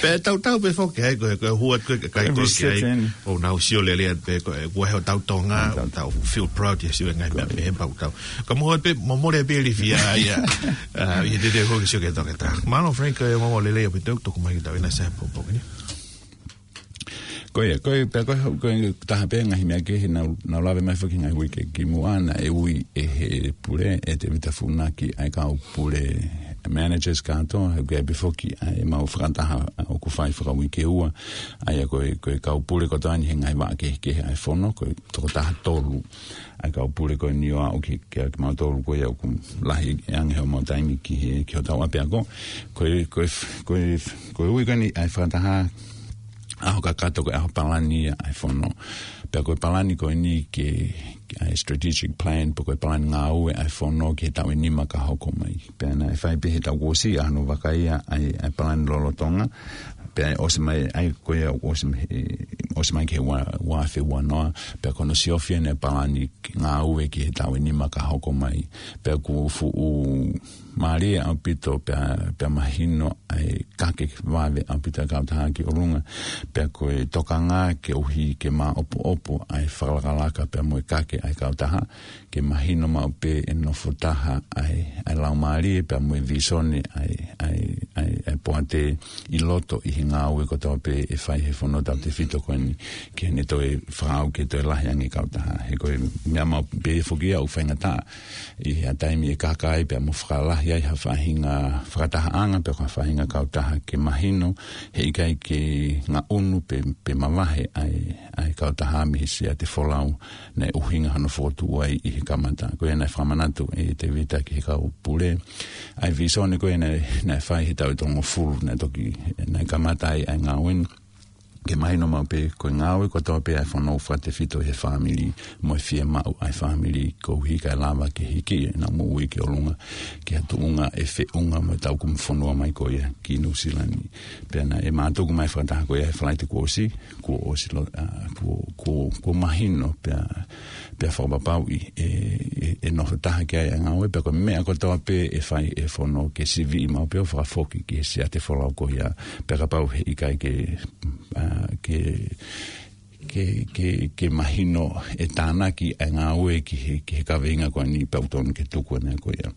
Pea tautau pē foki ai, ko e, ko e hua ko e kakai ko e ki ai. ʻO nau sio lelei atu pē, ko e, ko e hotau Tonga, tau feel proud ia sio e ngaahi meʻa pehē pea tau. Ka mo pē, mo mole pē li fia ia, ʻa, ʻi he te te hoki sio ke toke ta. Mālō Frank, ko e mo lelei ʻaupito, tuku mai ki tau ʻi he ʻaho ni. Ko ia, ko e, pea ko e, ko e taha pē ngaahi meʻa kehe naʻa, naʻa ku lave mai foki ngaahi uike ki muʻa naʻe ui ʻe he pule, ʻe Tevita Funaki, ʻa e kau pule managers kātoa, he ʻoku ʻi ai pē foki ʻa e mau fakataha ʻoku fai fakauike ua, ʻa ia ko e, ko e kau pule kotoa ni he ngaahi vaʻa kehekehe ʻa e fono, ko e tokotaha tolu ʻa e kau pule ko eni ʻo aʻu ki, ki, kimautolu ko ia ʻoku lahi ange homau taimi ki he, ki hotau ʻapiako. Ko e, ko e, ko e, ko e ui ko eni ʻa e fakataha ʻaho kakato ko e ʻaho palani ʻa e fono. Pea ko e palani ko eni ke, ke ʻa e strategic plan, pe ko e palani ngāue ʻa e fono ki he taʻu ʻe nima ka hoko mai. Pea naʻe fai pē he taʻu kuo ʻosi ʻa hono vakai ʻa e, ʻa e palani lolotonga. Pea ʻosi mai, ʻa ia ko ia ʻosi mai, ʻosi mai ki he ua, ua afe ua noa. Pea ko hono siofi ʻene palani ngāue ki he taʻu ʻe nima ka hoko mai. Pea ʻoku fuʻu mālie ʻaupito pea, pea mahino ʻa e kake vave ʻaupito ʻa e kautaha ki ʻolunga. Pea ko e tokanga ke ʻuhi ke māʻopoʻopo ʻa e fakalakalaka pea mo e kake ʻa e kautaha. Ke mahino maʻu pē ʻe nofo taha ʻa e, ʻa e laumālie pea mo e visone ʻa e, ʻa e, ʻa e, ʻa e poate ʻi loto ʻi he ngāue kotoa pē ʻe fai he fono tautefito ko eni. Ke ne toe fakaʻau ke toe lahi ange kautaha. He ko e meʻa maʻu pē foki ia ʻoku faingataʻa ʻi ha taimi ʻe kaka ai pea mo fakalahi ai ha faʻahinga fakatahaʻanga pea ko ha faʻahinga kautaha ke mahino he ʻikai ke ngaʻunu pe, pe mavahe ʻa e, ʻa e kautaha mei he Siate Folau naʻe ʻuhinga hono fokotuʻu ai ʻi he kamata. Ko ia naʻe fakamanatu ʻe Tevita ki he kau pule ʻa e visone ko ia naʻe, naʻe fai he taʻu ʻe tolungofulu naʻe toki, naʻe kamata ai ʻa e ngāue ni. Ke mahino maʻu pē ko e ngāue kotoa pē ʻa e fono fakatefito he fāmili, mo e fiemaʻu ʻa e fāmili koeʻuhi kae lava ke hiki ʻenau moʻui ki ʻolunga, ki ha tuʻunga ʻe feʻunga mo e tau kumi fonua mai ko ia ki Nuʻu Sila ni. Pea naʻe mātuku mai fakataha ko ia he Falaite kuo ʻosi, kuo ʻosi lo-, ʻa, kuo, kuo, kuo mahino pea, pea fakapapauʻi ʻe, ʻe, ʻe nofo taha ki ai ʻa e ngāue, pea ko e meʻa kotoa pē ʻe fai ʻe fono ke siviʻi maʻu pē ʻo fakafoki ki he Siate Folau ko ia, pea kapau he ʻikai ke, ʻa, ke, ke, ke, ke mahino ʻe tānaki ʻa e ngāue ki he, ki he kaveinga ko eni pea ʻoku totonu ke tuku ʻa e meʻa ko ia.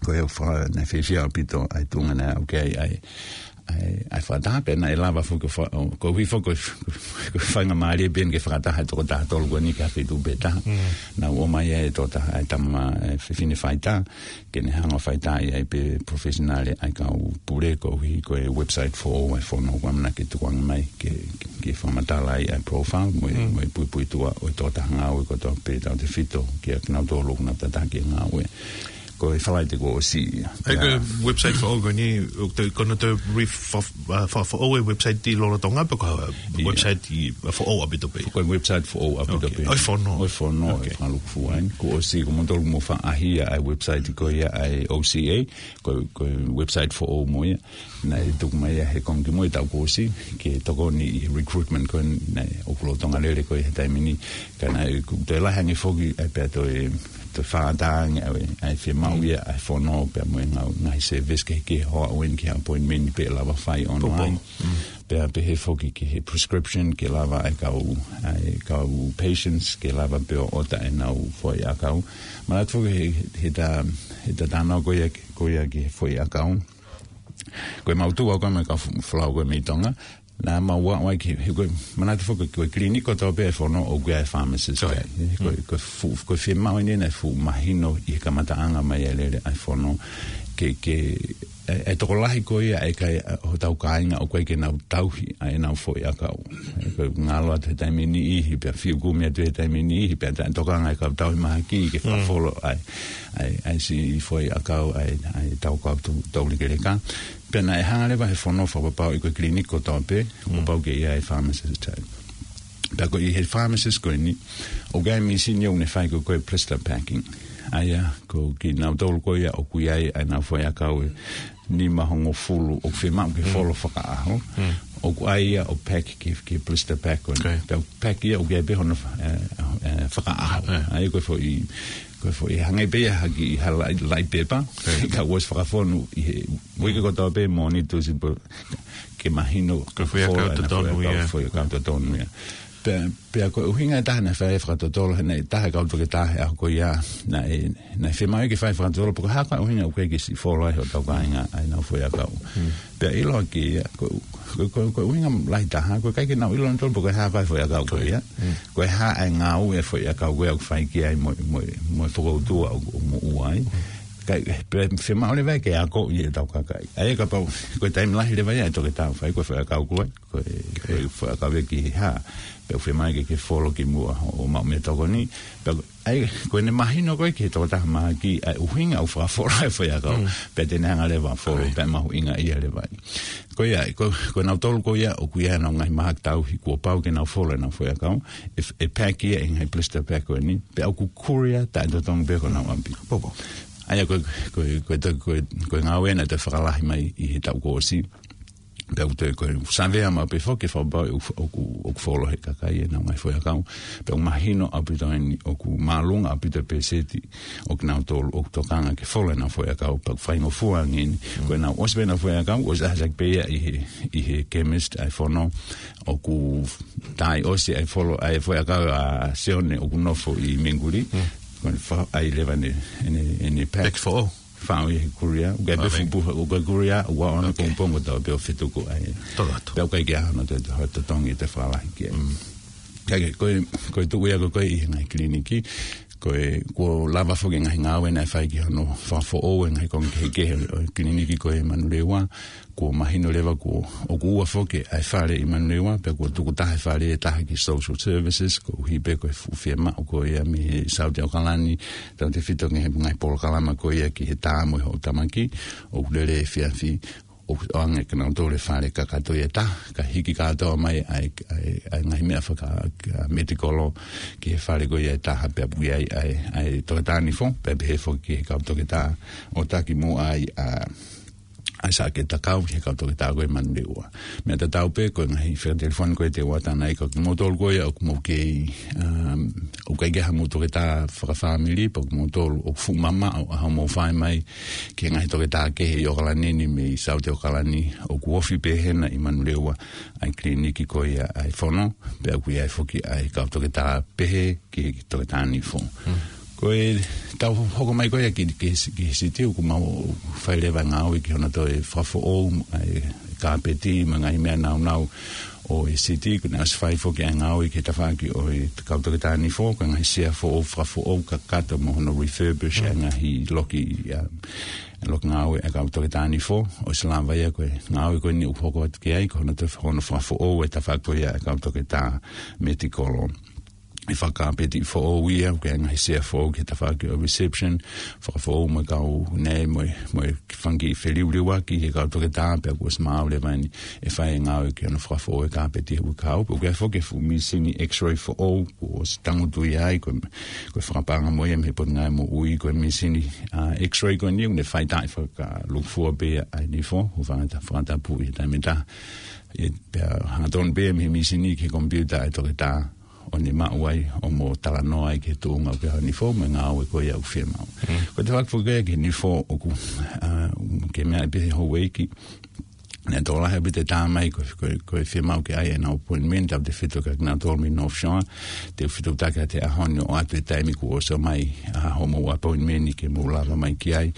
Ko e fa-, naʻe fiefia ʻaupito ʻa e tuʻunga naʻe aʻu ki ai ʻa e, ʻa e, ʻa e fakataha pea naʻe lava foki ʻo fa-, ʻo, koeʻuhi foki ko e, ko e faingamālie pē eni ke fakataha e tokotaha tolu ko eni ki ha feituʻu pē taha. Naʻa ku ʻomai ʻa e tokotaha, ʻa e tama, ʻa e fefine faitā, ke ne hanga ʻo faitaaʻi ai pē professional ʻa e kau pule koeʻuhi ko e website foʻou ʻa e fono ʻoku ʻamanaki ke tukuange mai ke, ke, ke fakamatala ai ʻa e profile mo e, mo e puipuituʻa ʻo e tokotaha ngāue kotoa pē tautefito kia kinautolu ʻoku nau tataki e ngāue. Ko e Falaite kuo ʻosi ia. ʻA ia ko e website foʻou ko eni, ʻoku te, ko hono toe re-, fa-, fa-, fa-, foʻou e website ʻi lolotonga pe ko e website ʻi, foʻou ʻaupito pē? Ko e website foʻou ʻaupito pē. ʻO e fono. ʻO e fono, ʻo e fakalūkufua eni. Kuo ʻosi, ko moutolu mou faʻa ʻaʻahi ʻa e website ko ia ʻa e O C A, ko, ko e website foʻou mo ia. Naʻe tuku mai ia he konga kimui taʻu kuo ʻosi, ke tokoni ʻi he recruitment ko eni naʻe ʻoku lolotonga lele ko ia he taimi ni. Ka naʻe ʻoku toe lahi ange foki, ʻa e pea toe, toe fakaʻatā ange ʻa e, ʻa e fiemaʻu ia, ʻa e fono pea mo e ngau-, ngaahi service kehekehe ʻo aʻu eni ki he appointment pē lava fai online. Pea pehē foki ki he prescription ke lava ʻa e kau, ʻa e kau patients ke lava pē ʻo ʻota ʻenau foʻi ʻakau. Manatu foki he, he ta, he ta tānaki ko ia, ko ia ki he foʻi ʻakau. Ko e mau tuʻu au ko ē mo e kau f-, folau ko ē mei Tonga. Naʻa mau ō ai ki he, ko e manatu foki ko e clinic kotoa pē ʻa e fono ʻoku ʻi ai e pharmacist. Ko e, ko e fu-, ko e fiemaʻu eni naʻe fuʻu mahino ʻi he kamataʻanga mai ʻa e lele ʻa e fono. Ke, ke, ʻe, ʻe tokolahi ko ia ʻa e kakai, ʻa, hotau kāinga ʻoku ʻikai ke nau tauhi ʻa ʻenau foʻi ʻakau. ʻE, ko e ngalo atu he taimi ʻe niʻihi, pea fiu kumi atu he taimi ʻe niʻihi, pea ta-, tokanga ʻa e kau tauhi mahaki ke fakafollow ʻa e, ʻa e, ʻa e siʻi foʻi ʻakau, ʻa e, ʻa e tau kau tu-, tau likeleka. Pea naʻe hanga leva he fono ʻo fakapapauʻi ko e clinic kotoa pē, ʻoku pau ke ʻi ai e pharmacist. Pea ko e ʻi he pharmacist ko eni, ʻoku ʻi ai e mīsini ʻoku ne fai ko ē ko e blister packing. ʻA ia, ko kinautolu ko ia ʻoku ʻi ai ʻenau foʻiʻakau ʻe nima hongofulu ʻoku fiemaʻu ke folo fakaʻaho. ʻOku ʻi ai ia ʻoku pack ki, ki he blister pack ko eni. Pea pack ia ʻoku ʻi ai pē hono fa-, ē, ē, fakaʻaho. ʻA ia ko e foʻi, ko e foʻi hangē pē ia ha kiʻi ha laʻi, laʻi pepa. Ka ʻosi fakafonu ʻi he, uike kotoa pē mo ni tusi po, ke mahino ko e foʻiʻakau totonu ia. Foʻiʻakau totonu ia. Pea, pea ko e ʻuhinga ʻe taha naʻe fai fakatotolo, he naʻe ʻi ai e taha e kau toketā he ʻaho ko ia, naʻe, naʻe fiemaʻu ke fai fakatotolo, pe ko e hā e ʻuhinga ʻoku ʻikai ke siʻi folo ai hotau kāinga ʻenau foʻiʻakau. Pea ʻiloa ki ia, ko, ko, ko, ko e ʻuhinga lahi taha, ko e ʻikai ke nau ʻilo nautolu pe ko e hā e foʻiʻakau ko ia. Ko e hā e ngāue e foʻiʻakau ko ia ʻoku fai ki ai mo, mo, mo e fokoutua ʻoku, ʻoku moʻua ai. Kae, pea fiemaʻu leva ke akoʻi ʻe hotau kakai. ʻA ia kapau, ko e taimi lahi leva ia e toketā ʻoku fai, ko e foʻiʻakau ko ē, ko e, ko e foʻiʻakau ia ki he hā. Pea ʻoku fiemaʻu ke, ke folo kimuʻa ʻo, ʻo maʻu mei he tokoni. Pea, ʻa ia, ko ʻene mahino ko ē ki he tokotaha mahaki, ʻa e ʻuhinga ʻoku fakafolo ai e foʻiʻakau. Pea te ne hanga leva ʻo folo, pea mahuʻinga ia leva. Ko ia, ko, ko nautolu ko ia, ʻoku ʻi ai ʻenau ngaahi mahaki tauhi, kuo pau ke nau folo ʻenau foʻiʻakau, ʻe, ʻe pack ia ʻi he ngaahi blister pack ko eni, pea ʻoku courier taʻetotongi pē ki honau ʻapi. ʻA ia ko, ko, ko, ko, ko, ko e ngāue naʻe toe fakalahi mai ʻi he taʻu kuo ʻosi. Pea ʻoku toe ko e savea maʻu pē foki ke fakapapauʻi ʻoku, ʻoku, ʻoku folo ʻe he kakai ʻenau ngaahi foʻiʻakau. Pea ʻoku mahino ʻaupito eni ʻoku māʻolunga ʻaupito e pēseti ʻo kinautolu ʻoku tokanga ke folo ʻenau foʻiʻakau, pea ʻoku faingofua ange eni. Ko ʻenau ʻosi pē ʻenau foʻiʻakau, ʻosi ʻasi hake pē ia ʻi he, ʻi he chemist ʻa e fono, ʻoku tā ʻosi ʻa e folo, ʻa e foʻiʻakau ʻa Sione ʻoku nofo ʻi Minguli. Ko ʻene fa-, ʻai leva ʻene, ʻene, ʻene pack. Pack foʻou. Faʻu ʻi he courier, ʻoku ʻi ai pē fuʻu puha, ʻoku ʻi ai e courier, ʻoku ʻaonga pongipongi kotoa pē ʻo fetuku ai. Totongi. Pea ʻoku ʻikai ke ʻi ai hano toe, toe totongi ʻe toe fakalahi ki ai. Kae kehe, ko e, ko e tuʻu ia ko ē ko ē ʻi he ngaahi kiliniki, ko e, kuo lava foki e ngaahi ngāue naʻe fai ki hono fakafoʻou e ngaahi konga kehekehe ʻo e kiliniki ko ē ʻi Manurewa, kuo mahino leva kuo, ʻoku ua foki ʻa e fale ʻi Manurewa, pea kuo tukutaha e fale ʻe taha ki social services, koeʻuhi pē ko e fuʻu fiemaʻu ko ia mei he Saute ʻAokalani, tautefito ki he ngaahi polokalama ko ia ki he tā mo e hoʻo tamaki, ʻoku lele efiafi, ʻoku ʻoange kia nautolu e fale kakato ia ʻe taha, kae hiki kātoa mai ʻa e, ʻa e, ʻa e ngaahi meʻa faka-, ka-, medical ki he fale ko ia ʻe taha pea ʻoku ʻi ai ʻa e, ʻa e toketā nifo, pea pehē foki ki he kau toketā ʻo taki muʻa ai ʻa ʻa e saʻaki takau ki he kau toketā ko ē ʻi Manurewa. Meʻa tatau pē ko e ngaahi fekatelefoni ko ē te u ʻatā ai kia kimoutolu ko ia ʻoku mou kei, um, ʻoku ʻikai ke ʻi ai hamou toketā fakafāmili, pe ko kimoutolu ʻoku fuʻu mamaʻo ʻa hoʻomou fai mai ki he ngaahi toketā kehe ʻi ʻAokalani ni mei Saute ʻAokalani, ʻoku ofi pē hena ʻi Manurewa ʻa e kiliniki ko ia ʻa e fono, pea ʻoku ʻi ai foki ʻa e kau toketā pehē ki he toketā nifo. Ko e tau hoko mai ko ia ki, ki, ki he siti, ʻoku mau fai leva e ngāue ki hono toe fakafoʻou ʻa e kāpeti mo e ngaahi meʻa nāunau ʻo e siti, kuo ne ʻosi fai foki ʻa e ngāue ki he tafaʻaki ʻo e kau toketā nifo, ko e ngaahi sea foʻou, fakafoʻou kakato mo hono refurbish ʻa e ngaahi loki, ʻa, loki ngāue ʻa e kau toketā nifo, ʻosi lava ia ko e ngāue ko eni ʻoku hoko atu ki ai, ko hono toe, hono fakafoʻou e tafaʻaki ko ia ʻa e kau toketā medical. ʻI fakakāpeti foʻou ia, ʻoku ʻi ai e ngaahi sea foʻou ki he tafaʻaki ʻo e reception, fakafoʻou mo e kau nei, mo e, mo e fanga kiʻi feliuliuaki he kau toketā, pea kuo ʻosi maau leva eni ʻe fai e ngāue ki hono fakafoʻou e kāpeti he uike kahaʻu, pea ʻoku ʻi ai foki e fuʻu mīsini X-ray foʻou, kuo ʻosi tangutu ia ai, ko e, ko e fakapaʻanga mo ia mei he Potungāue Moʻui, ko e mīsini, ʻa, X-ray ko eni, ʻoku ne faʻitaki fakalūkufua pē ʻa e nifo, ʻo fakata-, fakatapu ʻi he taimi ʻe taha. ʻE, pea hangatonu pē mei he mīsini ki he komipiuta ʻa e toketā, ʻo ne maʻu ai ʻo mo talanoa ai ki he tuʻunga ʻoku ʻi ai hono nifo mo e ngāue ko ia ʻoku fiemaʻu. Ko e tafaʻaki foki ki he nifo ʻoku, ʻa, ke meaʻi pē ʻe he houʻeiki, naʻe tokolahi ʻaupito e tā mai ko, ko, ko e fiemaʻu ke ʻai ʻenau appointment, tautefito kia kinautolu mei North Shore, te u fetuʻutaki atu he ʻaho ni ʻo ʻoatu e taimi kuo ʻosi ʻomai ʻa hoʻomou appointment ke mou lava mai ki ai.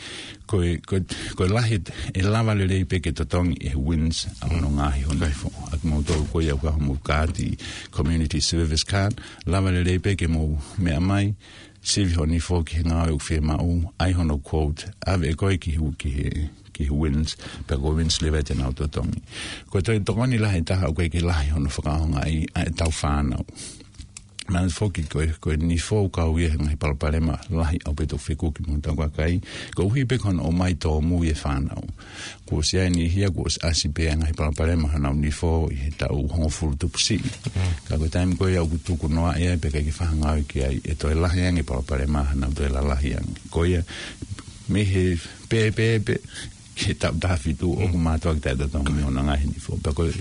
Ko e, ko e, ko e lahi, ʻe lava lelei pē ke totongi ʻe he WINZ ʻa hono ngaahi hono nifo. ʻA kimoutolu ko ia ʻoku ʻi ai homou kaati community service card, lava lelei pē ke mou meʻa mai, sivi hoʻo nifo ki he ngāue ʻoku fiemaʻu, ʻai hono quote, ʻave ʻe koe ki he, ki he, ki he WINZ, pea ko e WINZ leva te nau totongi. Ko e toe tokoni lahi ʻe taha ʻoku ʻikai ke lahi hono fakaʻaongaʻi ʻa ʻetau fānau. Manatuʻi foki ko e, ko e nifo ʻoku kau ia he ngaahi palopalema lahi ʻaupito fekuki mo hotau kakai. Koeʻuhi pē ko hono ʻomai tōmui e fānau. Kuo ʻosi ʻi ai e niʻihi ia kuo ʻosi ʻasi pē ʻa e ngaahi palopalema honau nifo ʻi he taʻu hongofulu tupu siʻi. Mm. Ka ko e taimi ko ia ʻoku tuku noa ia pea ʻikai ke fai ha ngāue ki ai, ʻe toe lahi ange e palopalema, honau toe lalahi ange. Ko ia, mei he pēpē pē ki he taʻu taha fitu ʻoku mātuʻaki taʻetotongi mei hona ngaahi nifo. Pea ko e,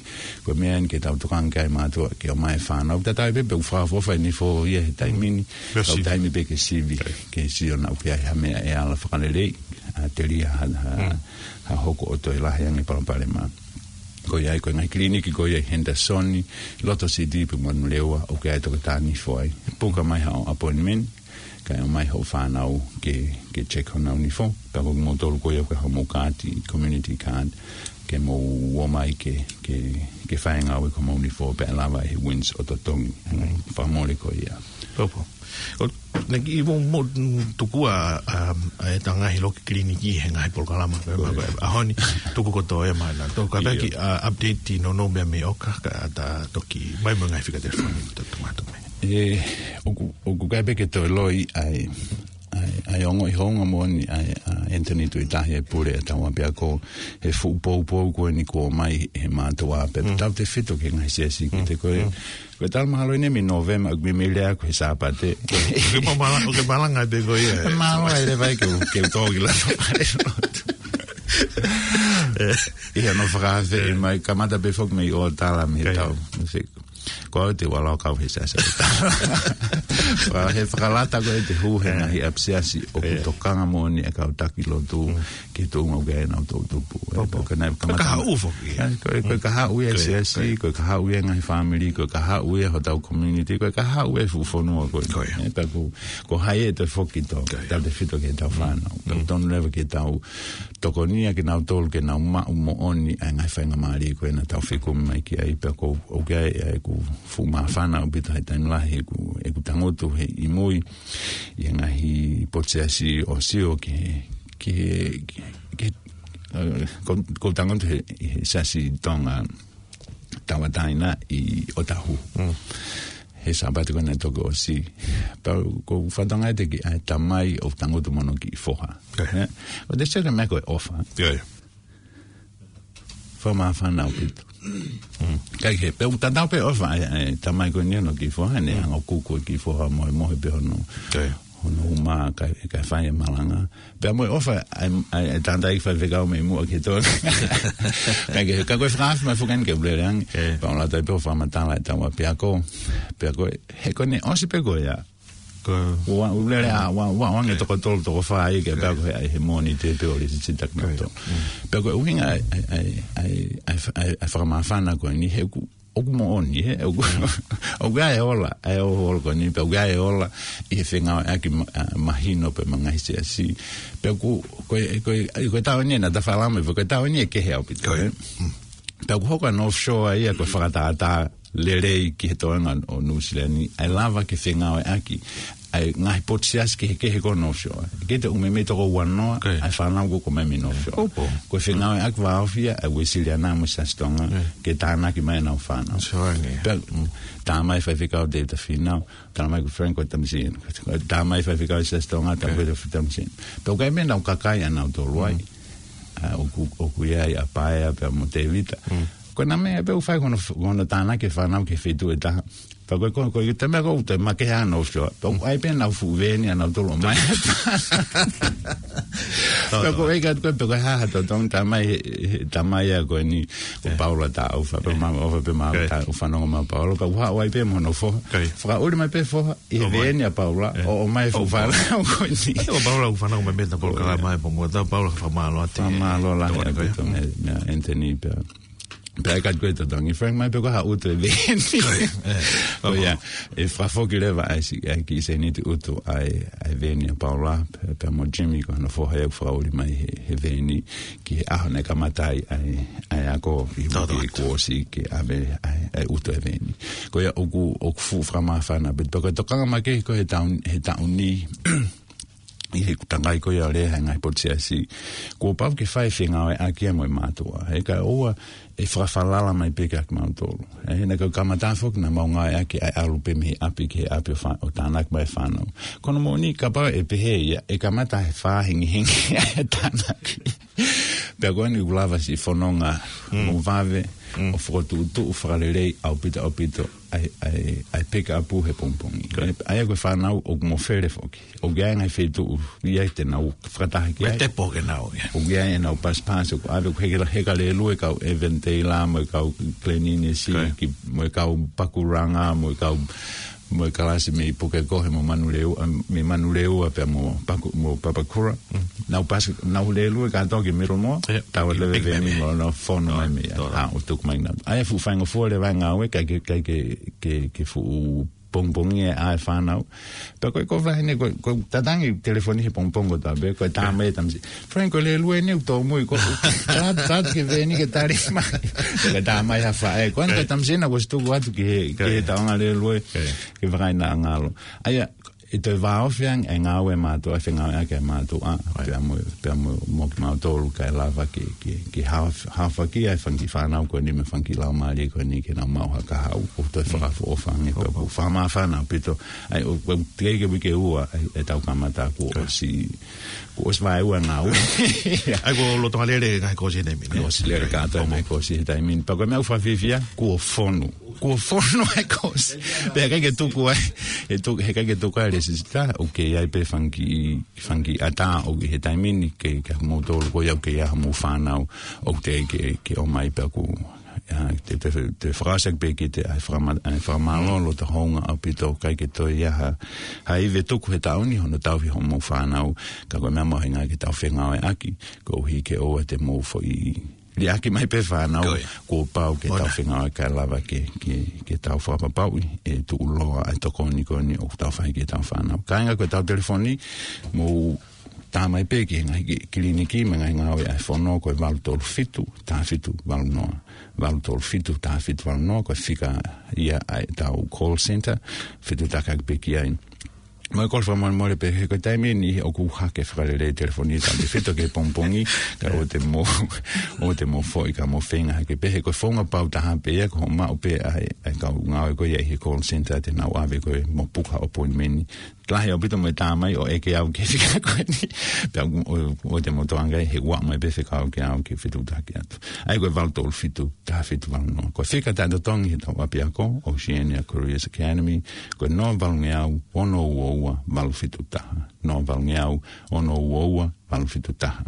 ko e meʻa eni ke tau tokanga ki ai mātuʻa ke ʻomai e fānau. Tatau ai pē pe ʻoku fakaʻofoʻofa e nifo ia he taimi ni. Ka ʻoku taimi pē ke sivi, ke sio naʻa ʻoku ʻi ai ha meʻa ʻe ala fakaleleiʻi, ʻa, telia ha, ha, ha hoko ʻo toe lahi ange e palopalema. Ko ia ai ko e ngaahi kiliniki ko ia ʻi Henderson, Loto City pea mo Nunulewa, ʻoku ʻi ai e toketā nifo ai. Puka mai haʻo appointment, kae ʻomai hoʻo fānau ke, ke check honau nifo, pea ko kimoutolu ko ia ʻoku ʻi ai hoʻomou kaati, community card, ke mou ō mai ke, ke, ke fai e ngāue ki homou nifo pea ʻe lava ʻe he WINZ ʻo totongi. Mm. Fakamole ko ia. Popo. ʻO, naʻe ʻi ai mo, mo, tuku ʻa, ʻa, ʻa e ngaahi loki kiliniki he ngaahi polokalama. Ko ia. ʻAho ni, tuku kotoa ia mai na. Tau ka peki, ʻio, ʻa, update ʻi nono mea mei ʻoka, ka ta toki mai mo e ngaahi fika telefoni, to, to, to, to, mai. ʻE, ʻoku, ʻoku ʻikai pē ke toe loi ai, ai, ai ongoʻi hounga moʻoni ai, ʻa Anthony Tuʻitahi e pule ʻa e tau ʻapiako he fuʻu poupou ko eni kuo ʻomai he mātuʻa pea tautefito ki he ngaahi siasi ki te ko e, ko e talu mahalo eni mei Nōvema, ʻoku mei lea ko e Sāpate. Ke ma-, mala-, ke malanga pē ko ia, ʻe. Mālō ai leva ke u, ke u tō ki loto. ʻE. ʻI hono fakaafe mai, kamata pē foki mei ʻo tala mei he tau. Ko au te u ala ʻo kau he siasi. Ko e fakalata ko ē te hū he ngaahi ʻapisiasi ʻoku tokanga moʻoni e kau taki lotu ki he tuʻunga ʻoku ʻi ai ʻenau toʻutupu. Ko e, ko e kahaʻu foki. Ko e, ko e kahaʻu ia e siasi, ko e kahaʻu ia e ngaahi fāmili, ko e kahaʻu ia hotau community, ko e kahaʻu ia e fuʻu fonua ko ē. Ko ia. ʻE, pea ko, ko hai ʻe toe foki ki tō, tautefito ki heʻetau fānau. Pea tonu leva ke tau tokonia kinautolu ke nau maʻu moʻoni ʻa e ngaahi faingamālie ko ē naʻa tau fekumi mai ki ai. Pea ko, ʻoku ʻi ai ʻeku fuʻu māfana ʻaupito he taimi lahi ʻeku, ʻeku tangutu he ʻi mui ʻi he ngaahi potu siasi ʻo sio ki he, ki he, ki he, ʻe, ko, ko e tangutu he, he siasi Tonga Tauʻatāina ʻi Otahu. Mm. He Sāpate ko ē naʻe toki ʻosi. Pea ko e fatongia ʻa e kiʻi tamai ʻoku tangutu mo hono kiʻi foha. ʻE. ʻE? ʻO te sio ki he meʻa ko e ʻofa. ʻIo, ʻio. Fakamāfana ʻaupito. Mm. Kae kehe, pea ʻoku tatau pē ʻofa ʻa e, ʻa e tamai ko eni hono kiʻi foha, ne hanga ʻo kuku e kiʻi foha mohemohe pē hono. ʻIo. Hono uma kae, kae fai e malanga. Pea mo e ʻofa ʻa e, ʻa e, ʻa e tangataʻeiki faifekau mei muʻa ki he tō. Kae kehe, ka ko e fakaafe mai foki eni ke u lele ange. ʻE. Pea ʻoku lata ai pē ʻo fakamatala e tau ʻapiako. Pea ko e, he ko eni ʻosi pē ko ia. Ko ua, u lele ʻa, ua, ua, ua, ange toko tolu, toko fā ia ke pea ko e ʻai he Mōnite pē ʻo lisitaki nautolu. Mm. Pea ko e ʻuhinga ʻa e, ʻa e, ʻa e, ʻa e, ʻa e, ʻa e fakamāfana ko eni he ʻoku ʻoku moʻoni, ʻe, ʻoku, ʻoku ʻi ai e ola, ʻa e ʻoku ola ko eni, pea ʻoku ʻi ai e ola ʻi he fengāueʻaki ma-, ʻa, mahino pē mo e ngaahi siasi. Pea ʻoku, ko e, ko e, ko e taʻu eni naʻa ta falala mai, ko e taʻu eni ʻe kehe ʻaupito, ʻe. Mm. Pea ʻoku hoko ʻa e North Shore ia ko e fakatātā lelei ki he toenga ʻo Nuʻusila ni, ʻa e lava ke fengāueʻaki ʻa e ngaahi potu siasi kehekehe ko North Shore. ʻIkai te u meimei toko uanoa ʻa e fānau ko ē ʻoku ʻomai mei North Shore. Ko e fengāueʻaki vāofi ia ʻa e Uēsiliana mo e Siasi Tonga ke tānaki mai ʻenau fānau. Pea, tā mai faifekau Tēvita Fīnau, tā mai ko Frank ko Tamasiʻi. Tā mai faifekau Siasi Tonga, tā mai ko Tamasiʻi. Pea ʻoku ʻi ai e meʻa naʻa nau kakai ʻanautolu ai. ʻA, ʻoku, ʻoku ʻi ai ʻa Paea pea mo Tēvita. Ko e meʻa pē ʻoku fai ko hono, ko hono tānaki e fānau ki he feituʻu ʻe taha. Pea ko e, ko e, ko e meʻa ko ē ʻoku te makehe ʻa North Shore. Pea ʻoku ʻi ai pē ʻenau fuʻu veeni ʻanautolu ʻo ʻomai. Pea ko e ʻai atu ko ē, pea ko e hā ha totongi tā mai, he, he, tā mai ia ko eni, ko Paula Taufa, pea mau ʻofa pē mau tā, ʻo fanongo mai Paula, pea ʻoku haʻu ai pē mo hono foha. Fakaʻuli mai pē foha ʻi he veeni ʻa Paula, ʻo, ʻomai e fuʻu fānau ko eni. ʻO Paula ʻoku fanongo mai pē ʻeta polokalama ʻi he pongipongi, tā Paula fakamālō atu. Fakamālō lahi ʻaupito meia, meia Anthony pea. Pea ʻai atu ko ē totongi, Frank, mai pē ko ha ʻutu e veeni. Ko ia, ʻe fakafoki leva ʻa e si-, ʻa e kiʻi sēniti ʻutu ʻa e, ʻa e veeni ʻa Paula, pea, pea mo Jimmy ko hono foha ia ʻoku fakaʻuli mai he, he veeni ki he ʻaho naʻe kamata ai ʻa e, ʻa e ako ʻi he uike kuo ʻosi ke ʻave ʻa e, ʻa e ʻutu e veeni. Ko ia ʻoku, ʻoku fuʻu fakamāfana, pea, pea ko e tokanga makehe ko ē he taʻu, he taʻu ni, ʻi he takai ko ia ʻo e lea he ngaahi potu siasi. Kuo pau ke fai e fengāueʻaki ia mo e mātuʻa. He ka ʻoua ʻe fakafalala mai pē kiate kimautolu. He naʻa ke kamata foki naʻa mau ngāueʻaki ʻa e ʻalu pē mei he ʻapi ki he ʻapi ʻo fa-, ʻo tānaki mai e fānau. Ko hono moʻoni kapau ʻe pehē ia, ʻe kamata he fā hengihengi ʻa e tānaki. Pea ko eni ʻoku lava siʻi fononga mo vave, ʻo fokotuʻutuʻu fakalelei ʻaupito ʻaupito ʻa e, ʻa e, ʻa e pekapu he pongipongi. ʻA ia ko e fānau ʻoku mofele foki. ʻOku ʻi ai e ngaahi feituʻu ʻi ai te nau fakataha ki ai. Tepo ke nau, ia. ʻOku ʻi ai ʻenau pasipasi, ʻoku ʻave, ʻoku heka, heka lēlue e kau Eventela, mo e kau Glen Innes, ki, mo e kau Pakuranga, mo e kau, mo e kalasi mei Pukekohe, mo Manurewa, ʻa, mei Manurewa, pea mo Paku-, mo Papakura. Nau pasi, nau lēlue kātoa ki Middlemore, taua leve veni mo nau fono mai mei ai. ʻA, ʻo tuku mai nau. ʻA ia fuʻu faingofua leva e ngāue, ʻikai ke, ʻikai ke, ke, ke fuʻu pongipongi ʻa e fānau. Pea ko e ko flahi ne, ko, ko tatangi telefoni he pongipongi kotoa pē, ko e tā mai e tamasiʻi. Frank, ko e lēlue eni ʻoku tōmui, ko, tā, tā ke veni ke tali mai. Ko e tā mai ha faʻē. Ko eni ko e tamasiʻi naʻa ku ʻosi tuku atu ki he, ki he taonga lēlue, ke vakai naʻa ngalo. ʻA ia, ʻe toe vāofi ange e ngāue ʻa e mātuʻa, fengāueʻaki ʻa e mātuʻa, pea mo, pea mo, mo kimautolu kae lava ke, ke, ke haof-, haofaki ʻa e fanga kiʻi fānau ko eni mo e fanga kiʻi laumālie ko eni ke nau maʻu ha kahaʻu, ʻo toe fakaʻofoʻofa ange pea ʻoku fakamāfana ʻaupito. ʻA ia, ʻo, ʻo, teʻeki ke uike ua, ʻa e, ʻe tau kamata kuo ʻosi, kuo ʻosi vaeua e ngāue. ʻA ia, kuo loto ʻa lele ngaahi kosi he taimi ni. Kuo ʻosi lele kātoa e ngaahi kosi he taimi ni. Pea ko e meʻa ʻoku fakafiefia, kuo fonu. Kuo fonu e kosi. Pea ʻikai ke tuku ai, ʻe tuku, he ʻikai ke tuku ai e lēsisita, ʻoku ʻi ai pē fanga kiʻi, fanga kiʻi ʻatā ʻoku ʻi he taimi ni ke, ke moutolu ko ia ʻoku ʻi ai hoʻomou fānau, ʻoku teʻeki ke, ke ʻomai pea ʻoku, ʻa, te, te, te fakaʻosi pē kiate, ʻa e fakama-, ʻa e fakamālō, loto hounga ʻaupito, ʻikai ke toe ʻi ai ha, ha ivi ʻe tuku he taʻu ni, hono tauhi hoʻomou fānau, ka ko e meʻa mahuʻinga ke tau fengāueʻaki, koeʻuhi ke ʻoua te mou foʻi liʻaki mai pē fānau, kuo pau ke tau fengāueʻaki kae lava ke, ke, ke tau fakapapauʻi ʻe tuʻuloa ʻa e tokoni ko eni ʻoku tau fai ki heʻetau fānau. Kāinga, ko ʻetau telefoni, mou tā mai pē ki he ngaahi ki-, kiliniki mo e ngaahi ngāue ʻa e fono, ko e valu tolu fitu, taha fitu valu noa. Valu tolu fitu, taha fitu valu noa, ko e fika ia ʻa ʻetau call center, fetuʻutaki pē ki ai. Mo e kole fakamolemole pē, he ko e taimi ni ʻoku hake fakalelei e telefoni, tautefito ki he pongipongi, ka ʻoua te mou, ʻoua te mou foʻi ka mou feinga hake pē, he ko e founga pau taha pē ia, ko hoʻo maʻu pē ʻa e, ʻa e kau ngāue ko ia ʻi he call center te nau ʻave koe mo puka appointment. Lahi ʻaupito mo e tā mai ʻo ʻeke au ki he fika ko eni. Pea ʻo, ʻoua te mou tō ange ai, he ʻoua mai pē fekau ki ai ke fetuʻutaki atu. ʻA ia ko e valu tolu fitu, taha fitu valu noa. Ko e fika taʻetotongi heʻetau ʻapiako, Oceania Careers Academy, ko e noa valungeau, ono ua ua, valu fitu taha. Noa valungeau, ono ua ua, valu fitu taha.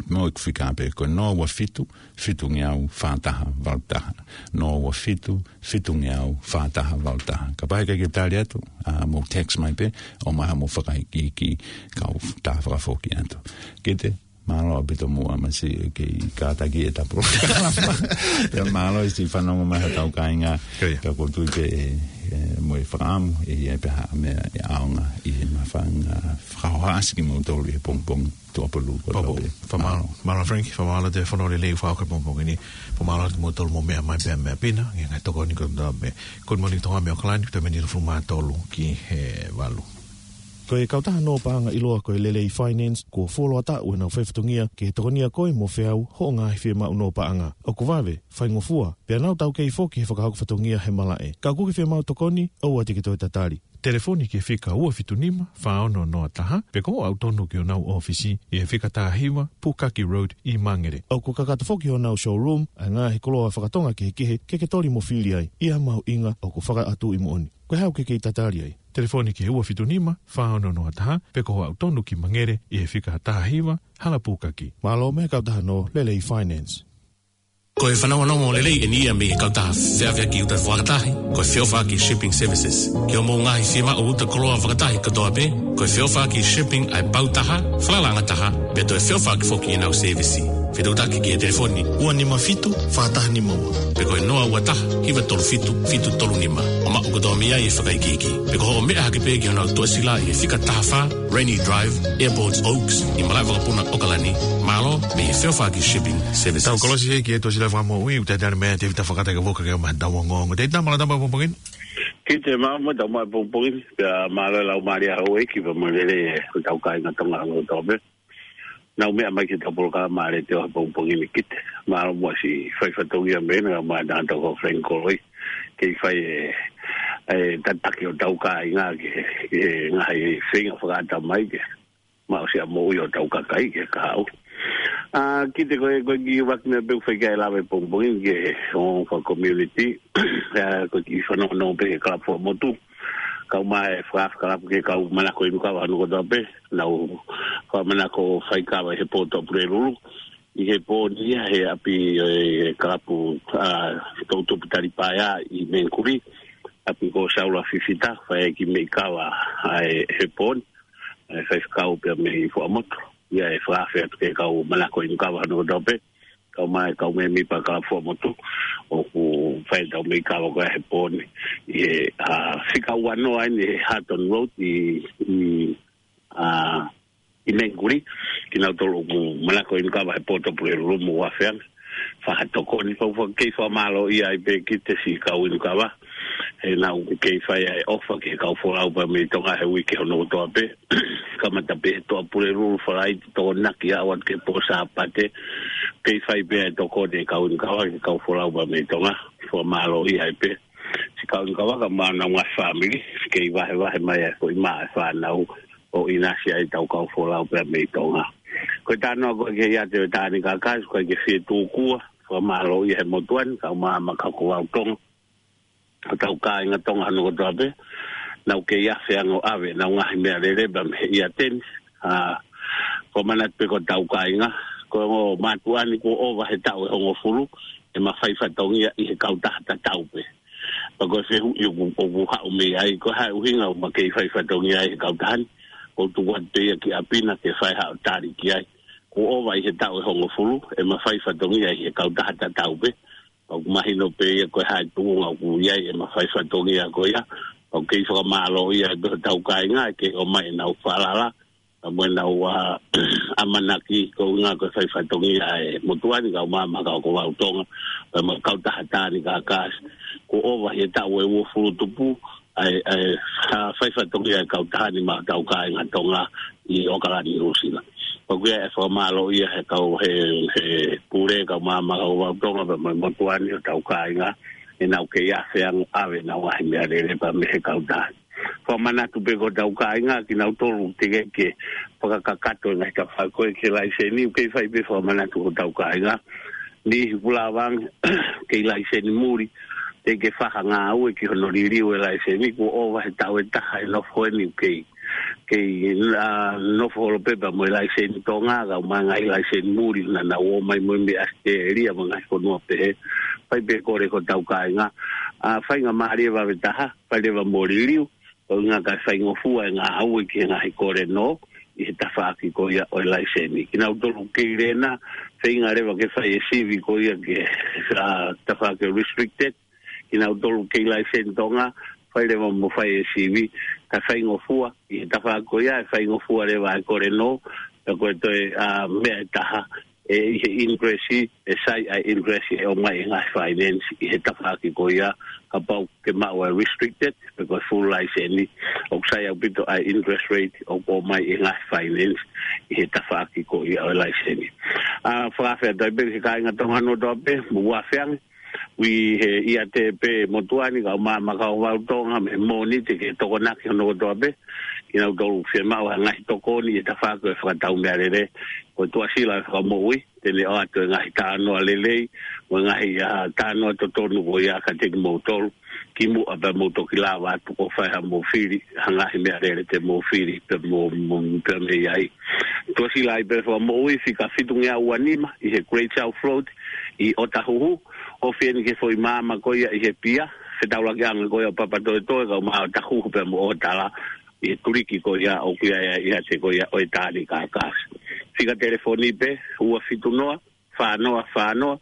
Mo e fika pē, ko e noa ua fitu, fitungeau, fā taha, valu taha. Noa ua fitu, fitungeau, fā taha, valu taha. Kapau ʻe ʻikai ke tali atu, ʻa, mou text mai pē, ʻomai haʻamou fakaikiiki, kau tā fakafoki atu. Kete, mālō ʻaupito mo ʻamasi ke kātaki ʻeta polokalama. Pea mālō siʻi fanongo mai haʻatau kāinga. Pea ʻoku ou tui pē ʻe, ʻe, mo e fakaʻamu, ʻe ʻi ai pē ha meʻa ʻe ʻaonga ʻi he mafanga fakahohaʻasi kimoutolu ʻi he pongipongi tuʻapulelulu kotoa pē. Fakamālō. Mālō Frank, fakamālō ʻetau fono lelei ʻoku fai he pongipongi ni. Fakamālō kimoutolu mou meʻa mai pea meʻa pina, ngaahi tokoni kotoa pē. Good morning Tonga mei ʻAokalani, ko e taimi ni ʻe hongofulu mā tolu ki he valu. Ko e kautaha nō paʻanga ʻiloa ko e Lelei Finance, kuo fuoloa taʻu ʻenau fai fatongia ke tokonia koe mo feau hoʻo ngaahi fiemaʻu nō paʻanga. ʻOku vave, faingofua, pea nau taukei foki he fakahoko fatongia he malaʻe. Ka ʻoku ke fiemaʻu tokoni, ʻoua te ke toe tatali. Telefoni ki he fika ua fitu nima, fā ono noa taha, pe ko hoʻo aʻu tonu ki honau ʻōfisi, ʻi he fika taha hiva, Pukaki Road, ʻi Mangere. ʻOku kakato foki honau showroom, ʻa e ngaahi koloa fakatonga kehekehe, ke ke toli mo fili ai, ʻi ha mahuʻinga ʻoku fakaʻatuʻi moʻoni. Ko e hā ʻoku ke kei tatali ai? Telefoni ki he ua fitu nima, fā ono noa taha, pe ko hoʻo aʻu tonu ki Mangere, ʻi he fika taha hiva, Hala Pukaki. Mālō mei he kautaha nō Lelei Finance. Ko e fanongonongo lelei eni ia mei he kautaha feʻaveʻaki uta fakatahi, ko e Feʻofaʻaki Shipping Services. Ki hoʻomou ngaahi fiemaʻu uta koloa fakatahi kotoa pē, ko e Feʻofaʻaki Shipping ʻa e pau taha, falalaʻanga taha, pea toe feʻofaʻaki foki ʻenau sēvisi. Fetuʻutaki ki he telefoni ua nima fitu, fā taha nima ua. Pe ko e noa ua taha, hiva tolu fitu, fitu tolu nima. ʻO maʻu kotoa mei ai e fakaikiiki. Pe ko hoʻo meʻa hake pē ki honau tuʻasila ʻi he fika taha fā, Rainy Drive, Airports Oaks, ʻi malaʻe vakapuna ʻAokalani, mālō mei he Feʻofaʻaki Shipping Services. Tau kolosi hē ki he tuʻasila fakamoʻui, ʻoku talitali mai ʻa Tēvita Fakata ke ʻoua ke ʻomai haʻatau ongoongo. Tēvita, mālō e tau pongipongi ni. Kite, mālō muʻa e tau maʻu e pongipongi ni, pea mālō e laumālie ʻa houʻeiki pea mo e lelei ʻo e tau kāinga Tonga ʻo Tonga pē. Naʻa nau meʻa mai ki he tau polokalama ʻa e Letiō he pongipongi ni, Kite. Mālō muʻa siʻi fai fatongia mei heni, kae ʻumaʻā e tangata ko Frank Koloi. Kei fai e, e tataki ʻo e tau kāinga ki he, ki he ngaahi feinga fakaʻatamai ke maʻu siʻa moʻui ʻo e tau kakai ki he kahaʻu. ʻA, Kite, ko e, ko e kiʻi ʻuluaki meʻa pē ʻoku fai ki ai e lave he pongipongi ni ki he ongoongo faka-community. ʻA, ko e kiʻi fanongonongo pē ki he kalapu fakamotu, kae ʻumaʻā e fakaafe kalapu ki he kau manako inu kava hono kotoa pē, naʻa nau fakamanako ʻo fai kava ʻi he pō Tuʻapulelulu ʻi he pō ni ia he ʻapi ʻo e kalapu, ʻa, Toutupu Talipaea ʻi Mengkuli, ʻapi ko Saula Fifita, fai e kiʻi meʻi kava ʻa e, he pō ni, ʻa e faifekau pea mei Fuaʻamotu. ʻA ia ʻe fakaafe atu ki he kau manako inu kava hono kotoa pē, kae ʻumaʻā e kau mēmipa kalapu fakamotu, ʻoku fai e tau meʻi kava ko ia he pō ni ʻi he, ʻa, fika ua noa eni he Hatton Road ʻi, ʻi, ʻa, ʻi Mengkuli, kinautolu ʻoku manako inu kava he pō Tuʻapulelulu mo ʻUafeangi. Fakatokoni, fau fau, kei fakamālōʻia ai pē Kite siʻi kau inu kava. He naʻa nau kei fai ʻa e ʻofa ki he kau folau pea mei Tonga he uike hono kotoa pē. Kamata pē he Tuʻapulelulu Falaite, tokonaki ʻo aʻu atu ki he pō Sāpate. Kei fai pē ʻa e tokoni e kau inu kava ki he kau folau pea mei Tonga. Fakamālōʻia ai pē siʻi kau inu kava kae ʻumaʻā honau ngaahi fāmili. Kei vahevahe mai ʻa e foʻi mā ʻa e fānau ʻo ʻinasi ai e tau kau folau pea mei Tonga. Ko e talanoa ko ē ki he ʻiate ʻo e Taʻahine Kākā, ʻoku ʻikai ke fie tūkua, fakamālōʻia he motuʻa ni, kae ʻumaʻā Makaokovau Tonga, ʻo e tau kāinga Tonga hono kotoa pē, naʻa nau kei afe ange ʻo ʻave ʻenau ngaahi meʻalele pea mei he ʻiate ni, ʻa, fakamanatu pē ki he tau kāinga, ko e ongo mātuʻa ni kuo ʻova he taʻu ʻe hongofulu, ʻe ma fai fatongia ʻi he kautaha tatau pē. Pea ko e fehuʻi ʻoku, ʻoku haʻu mei ai, ko e hā e ʻuhinga ʻoku ma kei fai fatongia ai he kautaha ni, ʻoku tuku atu pē ia ki ʻapi na ke fai haʻo tali ki ai. Kuo ʻova ʻi he taʻu ʻe hongofulu, ʻe ma fai fatongia ʻi he kautaha tatau pē. Pea ʻoku mahino pē ia ko e hā e tuʻunga ʻoku ʻi ai ʻema fai fatongia ko ia. Pea ʻoku kei fakamālōʻia ai pē hotau kāinga, ʻe kei ʻomai ʻenau falala, pea mo ʻenau, ʻa, ʻamanaki ko e ʻuhinga ko e fai fatongia ʻa e motuʻa ni kae ʻumaʻā Makaokovau Tonga, pea mo e kautaha Taʻahine Kākā. Kuo ʻova ʻi he taʻu ʻe uofulu tupu ʻa e, ʻa e, ʻa e fai fatongia ʻa e kautaha ni maʻa hotau kāinga Tonga ʻi ʻOkalani, Nuʻusila. Pea ʻoku ʻi ai e fakamālōʻia he kau he, he pule kae ʻumaʻā Makaokovau Tonga pea mo e motuʻa ni, hotau kāinga, ʻenau kei afe ange ʻo ʻave ʻenau ngaahi meʻalele pea mei he kautaha ni. Fakamanatu pē ki hotau kāinga, kinautolu teʻeki ke fakakakato e ngaahi tafaʻaki ko ē ki he laiseni, ʻoku kei fai pē fakamanatu ki hotau kāinga. Niʻihi kuo lava ange, kei laiseni muli, teʻeki ke fai ha ngāue ki hono liliu e laiseni, kuo ʻova he taʻu ʻe taha e nofo eni, ʻoku kei, kei, ʻa, nofo holo pē pea mo e laiseni Tonga, kae ʻumaʻā e ngaahi laiseni muli naʻa nau ō mai mo ia mei ʻAositelēlia mo e ngaahi fonua pehē. Fai pē kole ki hotau kāinga, ʻa, faingamālie vave taha, fai leva mo liliu, ko e ʻuhinga kae faingofua e ngāue ki he ngaahi kole nō ʻi he tafaʻaki ko ia ʻo e laiseni. Kinautolu kei lena, feinga leva ke fai e sivi ko ia ki he, ʻa, tafaʻaki restricted. Kinautolu kei laiseni Tonga, fai leva mo fai e sivi, kae faingofua ʻi he tafaʻaki ko ia, ʻe faingofua leva e kole nō, pea ko e toe, ʻa, meʻa ʻe taha, ʻe ʻi he interest, ʻe sai ʻa e interest ʻe ʻomai ʻe he ngaahi finance ʻi he tafaʻaki ko ia, kapau ke maʻu ʻa e restricted, pe ko e full license, ʻoku sai ʻaupito ʻa e interest rate ʻoku ʻomai ʻe he ngaahi finance ʻi he tafaʻaki ko ia ʻo e license. ʻA, fakaafe atu ai pē ki he kāinga Tonga hono kotoa pē, mo ʻUafeangi, ʻi he ʻiate pē motuʻa ni kae ʻumaʻā Makaokovau Tonga, mei he Mōnite ki he Tokonaki hono kotoa pē, kinautolu ʻoku fiemaʻu ha ngaahi tokoni ʻi he tafaʻaki ʻo e fakatau meʻalele, ko e Tuʻasila ʻo e Fakamoʻui, te ne ʻoatu e ngaahi talanoa lelei, mo e ngaahi, ʻa, talanoa totonu ko ia kiate kimoutolu, kimuʻa pea mou toki lava atu ʻo fai haʻamou fili, ha ngaahi meʻalele te mou fili, pea mo, mo, pea mei ai. Tuʻasila ʻo e Fakamoʻui, fika fitungeau ua nima, ʻi he Great South Road, ʻi ʻOtahuhu, ofi eni ki he foʻi maama ko ia ʻi he pia, fetaulakiʻanga ko ia ʻo Papatoetoe, kae ʻumaʻā ʻOtahuhu pea mo ʻOtala, ʻi he tuliki ko ia ʻoku ʻi ai ʻa e ʻiate ko ia ʻo e Taʻahine Kākā. Fika telefoni pē, ua fitu noa, fā noa fā noa,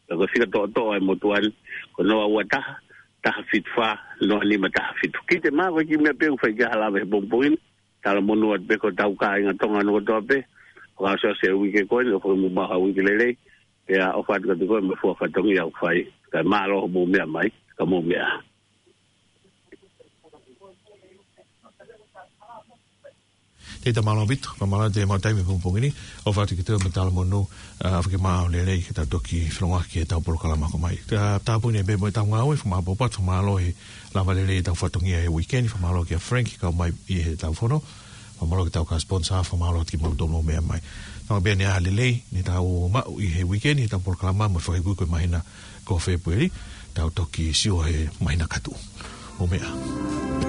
pea ko e fika toʻotoʻo ʻa e motuʻa ni, ko noa ua taha, taha fitu fā, noa nima taha fitu. Kite, mālō, ko e kiʻi meʻa pē ʻoku fai ki ai ha lave he pongipongi ni, talamonū atu pē ki hotau kāinga Tonga hono kotoa pē, fakaʻosiʻosi e uike ko eni, ʻofa ke mou maʻu ha uike lelei, pea ʻofa atu kiate koe mo e fua fatongia ʻoku fai, kae mālō hoʻomou meʻa mai, ka mou meʻa. Tētā mālō ʻaupito, fakamālō atu e maʻu taimi he pongipongi ni, ʻofa atu kiate koe mo e talamonū, ʻa, ʻofa ke maau lelei ke tau toki feʻiloaki he ʻetau polokalama ko mai. Ka tāpuni pē mo ʻetau ngāue, fakamālō atu, fakamālō he lava lelei ʻetau fatongia he uike ni, fakamālō kia Frank, kau mai ʻi heʻetau fono, fakamālō ki heʻetau kau sponsor, fakamālō atu kimautolu ʻoku meʻa mai. Tau pē ʻa e lelei, ne tau maʻu ʻi he uike ni, heʻetau polokalama, mo e fakaikuiku e māhina ko Fēpueli, tau toki sio he māhina ka tuʻu. ʻO meʻa.